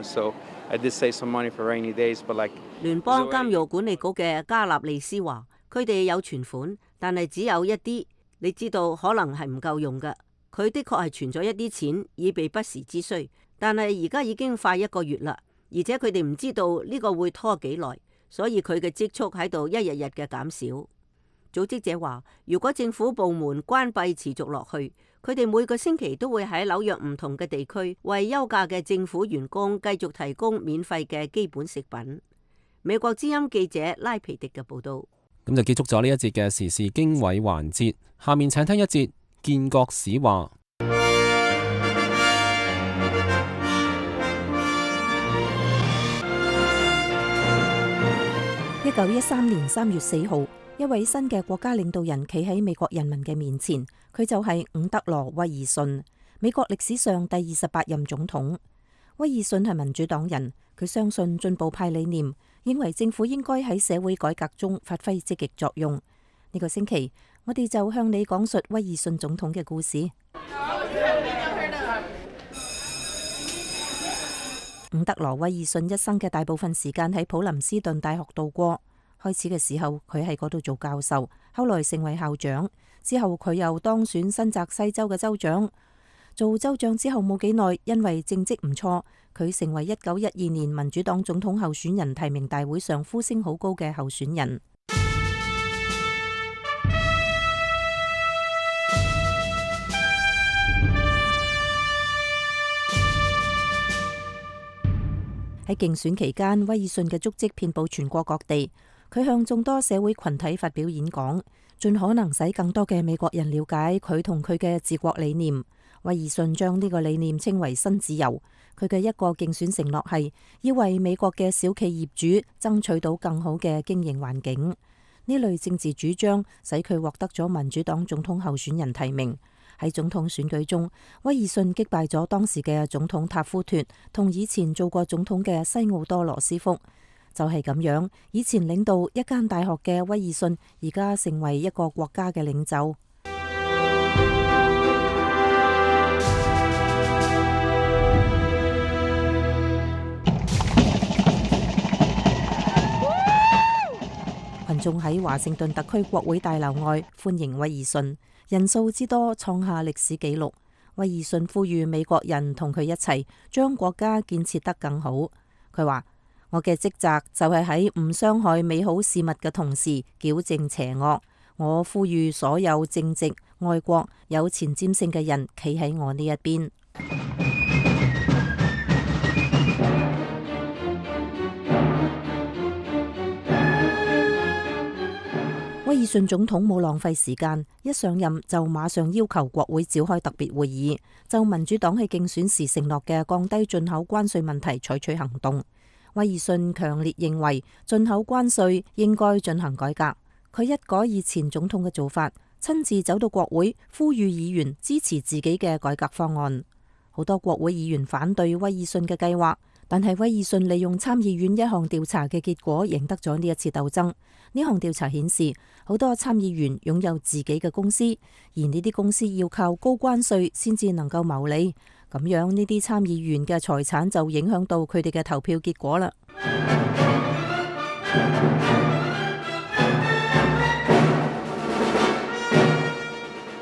so I did save some money for rainy days, but like 聯邦監獄管理局嘅加納利斯話，佢哋有存款，但係只有一啲，你知道可能係唔夠用嘅。佢的確係存咗一啲錢以備不時之需，但係而家已經快1個月啦，而且佢哋唔知道呢個會拖幾耐，所以佢嘅積蓄喺度一日日嘅減少。組織者話，如果政府部門關閉持續落去，佢哋每個星期都會喺紐約唔同嘅地區為休假嘅政府員工繼續提供免費嘅基本食品。美國之音記者拉皮迪嘅報道。咁就結束咗呢一節嘅時事經緯環節，下面請聽一節建國史話。1913年3月4號，一位新嘅國家領導人企喺美國人民嘅面前，佢就係伍德羅·威爾遜，美國歷史上第28任總統。威爾遜係民主黨人，佢相信進步派理念，認為政府應該喺社會改革中發揮積極作用。呢個星期，我哋就向你講述威爾遜總統嘅故事。伍德羅·威爾遜一生嘅大部分時間喺普林斯頓大學度過。開始嘅時候，佢喺嗰度做教授，後來成為校長，之後佢又當選新澤西州嘅州長。做州長之後冇幾耐，因為政績唔錯，佢成為1912年民主黨總統候選人提名大會上呼聲好高嘅候選人。喺競選期間，威爾遜嘅足跡遍佈全國各地。佢向眾多社會群體發表演講，盡可能使更多嘅美國人了解佢同佢嘅治國理念。威爾遜將呢個理念稱為新自由。佢嘅一個競選承諾係要為美國嘅小企業主爭取到更好嘅經營環境。呢類政治主張使佢獲得咗民主黨總統候選人提名。喺總統選舉中，威爾遜擊敗咗當時嘅總統塔夫脫同以前做過總統嘅西奧多羅斯福。就係咁樣，以前領導一間大學嘅威爾遜，而家成為一個國家嘅領袖。群眾喺華盛頓特區國會大樓外歡迎威爾遜，人數之多創下歷史紀錄。威爾遜呼籲美國人同佢一齊將國家建設得更好。佢話：我嘅職責就係喺唔傷害美好事物嘅同時矯正邪惡。我呼籲所有正直、愛國、有前瞻性嘅人企喺我呢一邊。威爾遜總統冇浪費時間，一上任就馬上要求國會召開特別會議，就民主黨喺競選時承諾嘅降低進口關稅問題採取行動。威爾遜強烈認為進口關稅應該進行改革。佢一改以前總統嘅做法，親自走到國會呼籲議員支持自己嘅改革方案。好多國會議員反對威爾遜嘅計劃，但係威爾遜利用參議院一項調查嘅結果贏得咗呢一次鬥爭。呢項調查顯示，好多參議員擁有自己嘅公司，而呢啲公司要靠高關稅先至能夠牟利。咁樣呢啲參議員嘅財產就影響到佢哋嘅投票結果啦。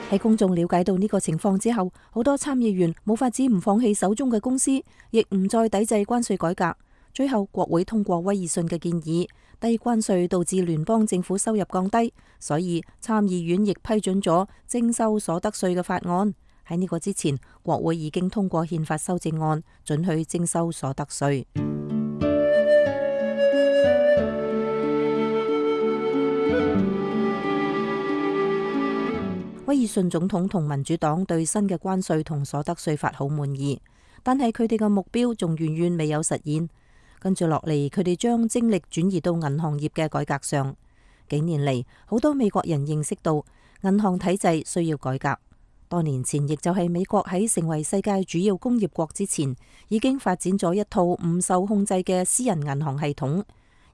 喺公眾了解到呢個情況之後，好多參議員冇法子唔放棄手中嘅公司，亦唔再抵制關稅改革。最後國會通過威爾遜嘅建議，低關稅導致聯邦政府收入降低，所以參議院亦批准咗徵收所得稅嘅法案。喺呢個之前，國會已經通過憲法修正案，准許徵收所得稅。威爾遜總統同民主黨對新嘅關稅同所得稅法好滿意，但係佢哋嘅目標仲遠遠未有實現。跟住落嚟，佢哋將精力轉移到銀行業嘅改革上。幾年嚟，好多美國人認識到銀行體制需要改革。多年前，亦就係美國喺成為世界主要工業國之前，已經發展咗一套唔受控制嘅私人銀行系統。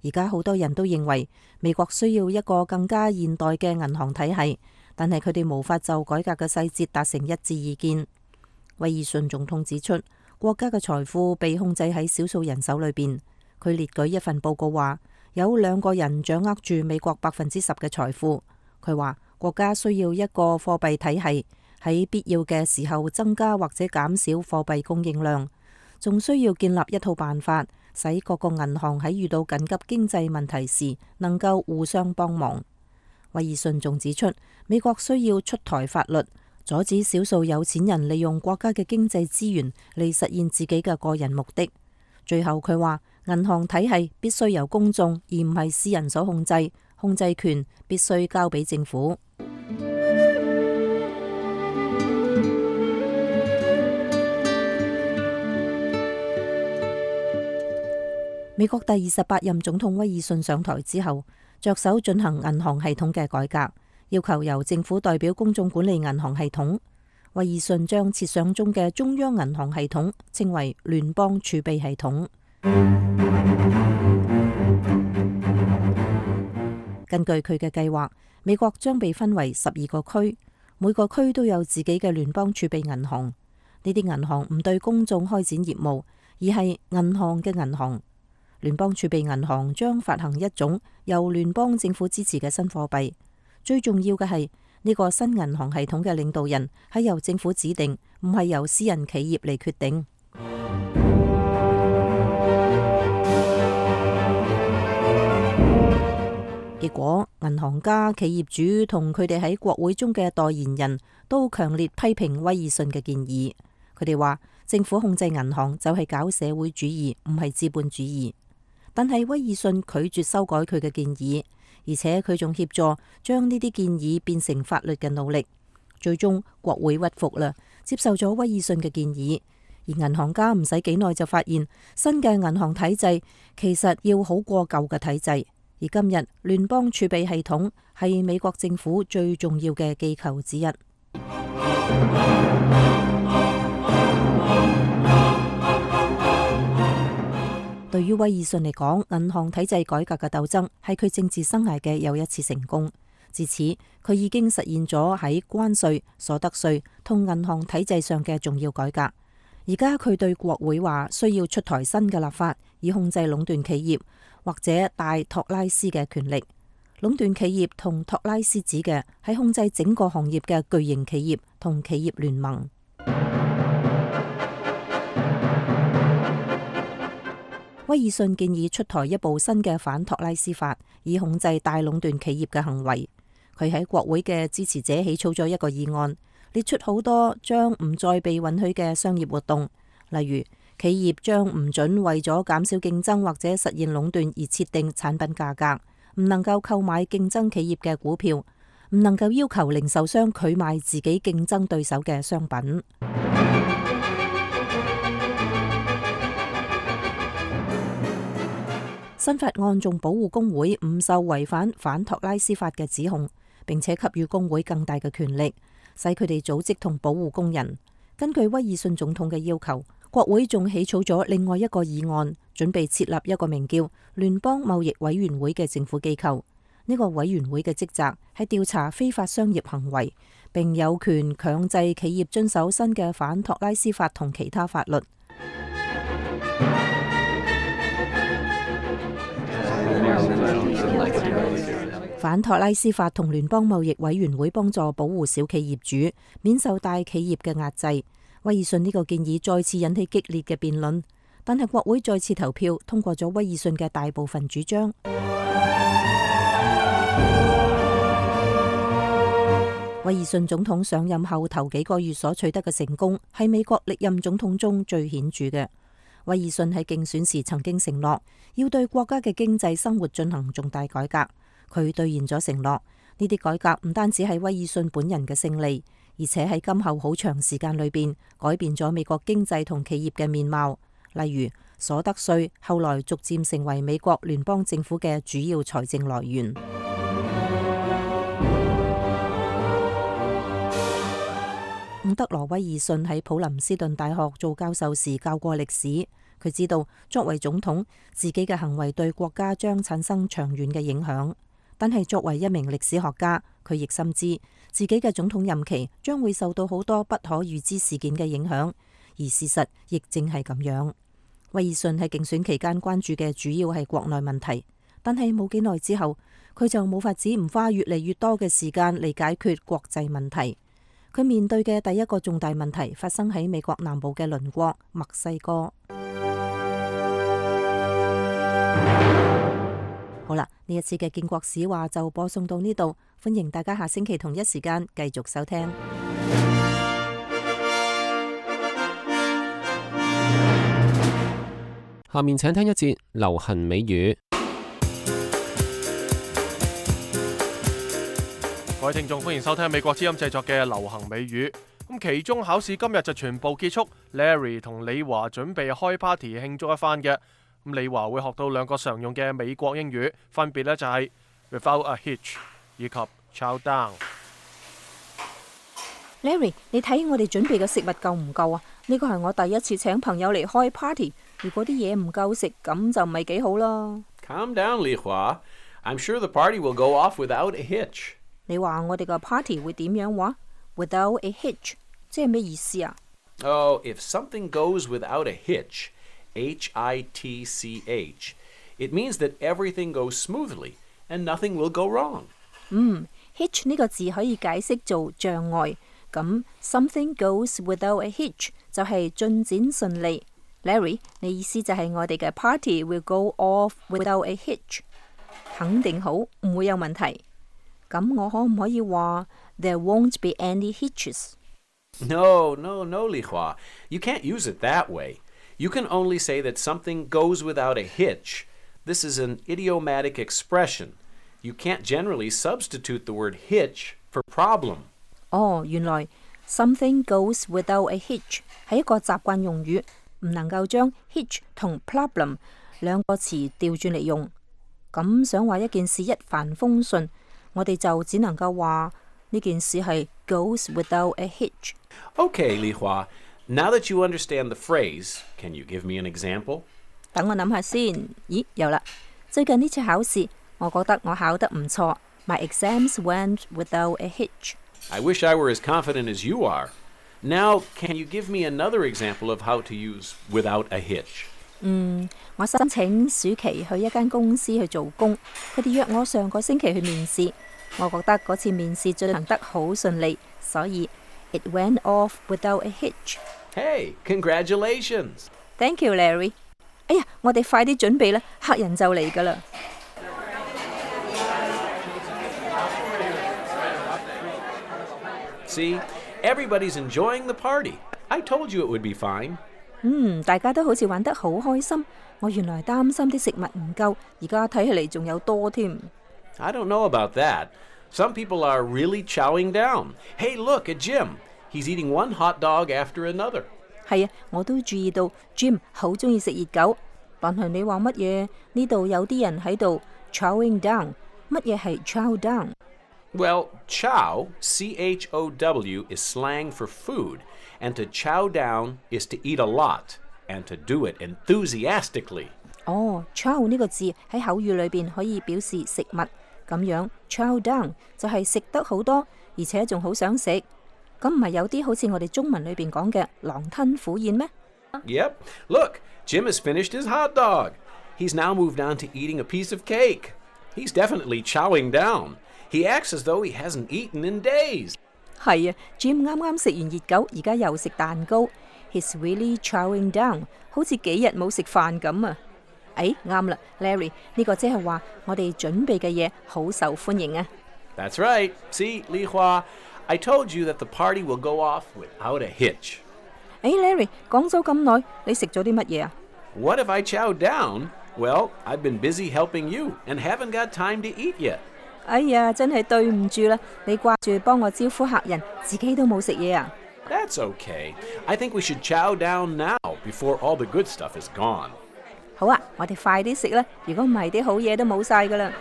而家好多人都認為美國需要一個更加現代嘅銀行體系，但係佢哋無法就改革嘅細節達成一致意見。威爾遜總統指出，國家嘅財富被控制喺少數人手裏邊。佢列舉一份報告話，有2個人掌握住美國10%嘅財富。佢話國家需要一個貨幣體系，喺必要嘅時候增加或者減少貨幣供應量，仲需要建立一套辦法，使各個銀行喺遇到緊急經濟問題時能夠互相幫忙。威爾遜仲指出，美國需要出台法律，阻止少數有錢人利用國家嘅經濟資源嚟實現自己嘅個人目的。最後佢話，銀行體系必須由公眾而唔係私人所控制，控制權必須交俾政府。美國第28任總統威爾遜上台之後，着手進行銀行系統嘅改革，要求由政府代表公眾管理銀行系統。威爾遜將設想中嘅中央銀行系統稱為聯邦儲備系統。根據佢嘅計劃，美國將被分為12個區，每個區都有自己嘅聯邦儲備銀行。呢啲銀行唔對公眾開展業務，而係銀行嘅銀行。聯邦儲備銀行將發行一種由聯邦政府支持嘅新貨幣。最重要嘅係呢個新銀行系統嘅領導人係由政府指定，唔係由私人企業嚟決定。結果，銀行家、企業主同佢哋喺國會中嘅代言人都強烈批評威爾遜嘅建議。佢哋話政府控制銀行就係搞社會主義，唔係資本主義。但係威爾遜拒絕修改佢嘅建議，而且佢仲協助將呢啲建議變成法律嘅努力。最終國會屈服啦，接受咗威爾遜嘅建議。而銀行家唔使幾耐就發現，新嘅銀行體制其實要好過舊嘅體制。而今日聯邦儲備系統係美國政府最重要嘅機構之一。對於威爾遜嚟講，銀行體制改革嘅鬥爭係佢政治生涯嘅又一次成功。自此，佢已經實現咗喺關稅、所得稅同銀行體制上嘅重要改革。而家佢對國會話需要出台新嘅立法，以控制壟斷企業或者大托拉斯嘅權力。壟斷企業同托拉斯指嘅係控制整個行業嘅巨型企業同企業聯盟。威爾遜建議出台一部新嘅反托拉斯法，以控制大壟斷企業嘅行為。佢喺國會嘅支持者起草咗一個議案，列出好多將唔再被允許嘅商業活動，例如企業將唔准為咗減少競爭或者實現壟斷而設定產品價格，唔能夠購買競爭企業嘅股票，唔能夠要求零售商拒賣自己競爭對手嘅商品。新法案仲保護工會唔受違反托拉斯法嘅指控，並且給予工會更大嘅權力，使佢哋組織同保護工人。根據威爾遜總統嘅要求，國會仲起草咗另外一個議案，準備設立一個名叫聯邦貿易委員會嘅政府機構。呢個委員會嘅職責係調查非法商業行為，並有權強制企業遵守新嘅反托拉斯法同其他法律。反托拉斯法同聯邦貿易委員會幫助保護小企業主免受大企業嘅壓制。威爾遜呢個建議再次引起激烈嘅辯論，但係國會再次投票通過咗威爾遜嘅大部分主張。威爾遜總統上任後頭幾個月所取得嘅成功係美國歷任總統中最顯著嘅。威爾遜喺競選時曾經承諾要對國家嘅經濟生活進行重大改革，佢兌現咗承諾。呢啲改革唔單止係威爾遜本人嘅勝利，而且喺今後好長時間裏邊改變咗美國經濟同企業嘅面貌。例如所得稅後來逐漸成為美國聯邦政府嘅主要財政來源。伍德羅威爾遜喺普林斯頓大學做教授時教過歷史，佢知道作為總統，自己嘅行為對國家將產生長遠嘅影響。但係作為一名歷史學家，佢亦深知自己嘅總統任期將會受到好多不可預知事件嘅影響，而事實亦正係咁樣。威爾遜喺競選期間關注嘅主要係國內問題，但係冇幾耐之後，佢就冇法子唔花越嚟越多嘅時間嚟解決國際問題。佢面對嘅第一個重大問題發生喺美國南部嘅鄰國墨西哥。好啦，呢一次嘅建國史話就播送到呢度，歡迎大家下星期同一時間繼續收聽。下面請聽一節流行美語。各位聽眾，歡迎收聽美國之音製作嘅流行美語。咁期中考試今日就全部結束 ，Larry 同李華準備開 party 慶祝一番嘅。咁李華會學到兩個常用嘅美國英語，分別呢就係 without a hitch 以及 chow down。Larry， 你睇我哋準備嘅食物夠唔夠啊？呢個係我第一次請朋友嚟開 party， 如果啲嘢唔夠食，咁就唔係幾好啦。Calm down， 李華。I'm sure the party will go off without a hitch。你話我哋個 party 會點樣話 ？Without a hitch， 即係咩意思啊？ Oh, if something goes without a hitch, H-I-T-C-H, it means that everything goes smoothly and nothing will go wrong. Hitch 呢個字可以解釋做障礙，咁 something goes without a hitch 就係進展順利。Larry， 你意思就係我哋嘅 party will go off without a hitch？肯定好，唔會有問題。咁我可唔可以話 There won't be any hitches？ No, Li Hua. You can't use it that way. You can only say that something goes without a hitch. This is an idiomatic expression. You can't generally substitute the word hitch for problem. 哦，原來 something goes without a hitch 係一個習慣用語，唔能夠將 hitch 同 problem 兩個詞調轉嚟用。咁想話一件事一帆風順，我哋就只能夠話呢件事係 goes without a hitch。 Okay, Li Hua. Now that you understand the phrase, can you give me an example? 等我諗下先。咦，有啦！最近呢次考試，我覺得我考得唔錯。My exams went without a hitch. I wish I were as confident as you are. Now, can you give me another example of how to use without a hitch? 我申請暑期去一間公司去做工，佢哋約我上個星期去面試。我覺得嗰次面試進行得好順利，所以 it went off without a hitch. Hey, congratulations! Thank you, Larry. 哎呀，我哋快啲準備啦，客人就嚟㗎啦。See, everybody's enjoying the party. I told you it would be fine. 大家都好似玩得好開心。我原來擔心啲食物唔夠，而家睇起嚟仲有多添。I don't know about that. Some people are really chowing down. Hey, look at Jim. He's eating one hot dog after another. 係啊，我都注意到 Jim 好中意食熱狗。但係你話乜嘢？呢度有啲人喺度 chowing down。乜嘢係 chow down？ Well, chow, C-H-O-W, is slang for food, and to chow down is to eat a lot, and to do it enthusiastically. 哦 chow 呢個字喺口語裏邊可以表示食物，咁樣 chow down 就係食得好多，而且仲好想食。咁唔係有啲好似我哋中文裏邊講嘅狼吞虎咽咩？ Yep. Look, Jim has finished his hot dog. He's now moved on to eating a piece of cake. He's definitely chowing down. He acts as though he hasn't eaten in days. 係啊 ，Jim 啱啱食完熱狗，而家又食蛋糕。He's really chowing down， 好似幾日冇食飯咁啊！誒，啱啦 ，Larry， 呢個即係話我哋準備嘅嘢好受歡迎啊！ That's right. See, Li Hua, I told you that the party will go off without a hitch. 誒 ，Larry， 講咗咁耐，你食咗啲乜嘢啊？ What if I chowed down? Well, I've been busy helping you and haven't got time to eat yet. 哎呀，真係對唔住啦！你掛住幫我招呼客人，自己都冇食嘢啊！ That's okay. I think we should chow down now before all the good stuff is gone. 好啊，我哋快啲食啦！如果唔係，啲好嘢都冇晒噶啦！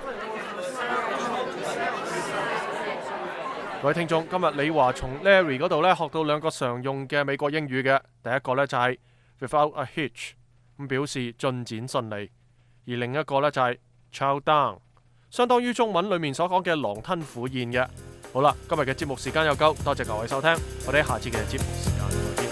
各位聽眾，今日李華從 Larry 嗰度咧學到兩個常用嘅美國英語嘅，第一個咧就係 without a hitch， 咁表示進展順利，而另一個咧就係 chow down， 相當於中文裡面所講嘅狼吞虎咽嘅。好啦，今日嘅節目時間又夠，多謝各位收聽，我哋下次嘅節目時間再見。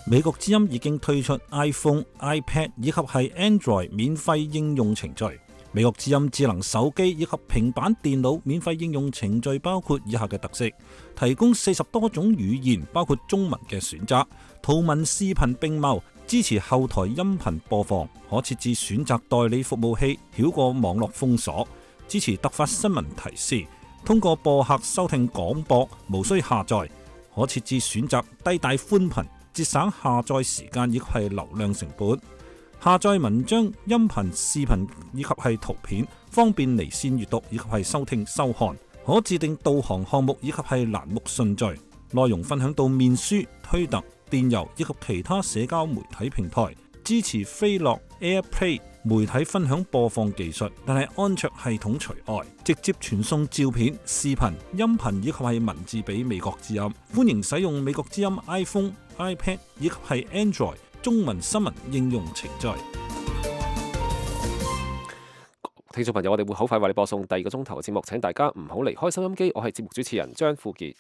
美國之音已經推出 iPhone、iPad 以及係 Android 免費應用程序。美國之音智能手機以及平板電腦免費應用程序包括以下嘅特色：提供40多種語言，包括中文嘅選擇，圖文視頻並茂，支持後台音頻播放，可設置選擇代理服務器，繞過網絡封鎖，支持突發新聞提示，通過播客收聽廣播，無需下載，可設置選擇低帶寬頻，節省下載時間以及係流量成本。下載文章、音頻、視頻以及係圖片，方便離線閱讀以及係收聽收看。可自定導航項目以及係欄目順序。內容分享到面書、推特、電郵以及其他社交媒體平台。支持飛樂 AirPlay 媒體分享播放技術，但係安卓系統除外。直接傳送照片、視頻、音頻以及係文字俾美國之音。歡迎使用美國之音 iPhone、iPad 以及係 Android 中文新聞應用程序。聽眾朋友，我哋會好快為你播送第二個鐘頭嘅節目，請大家唔好離開收音機。我係節目主持人張富傑。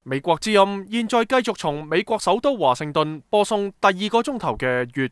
美國之音現在繼續從美國首都華盛頓播送第2個鐘頭嘅粵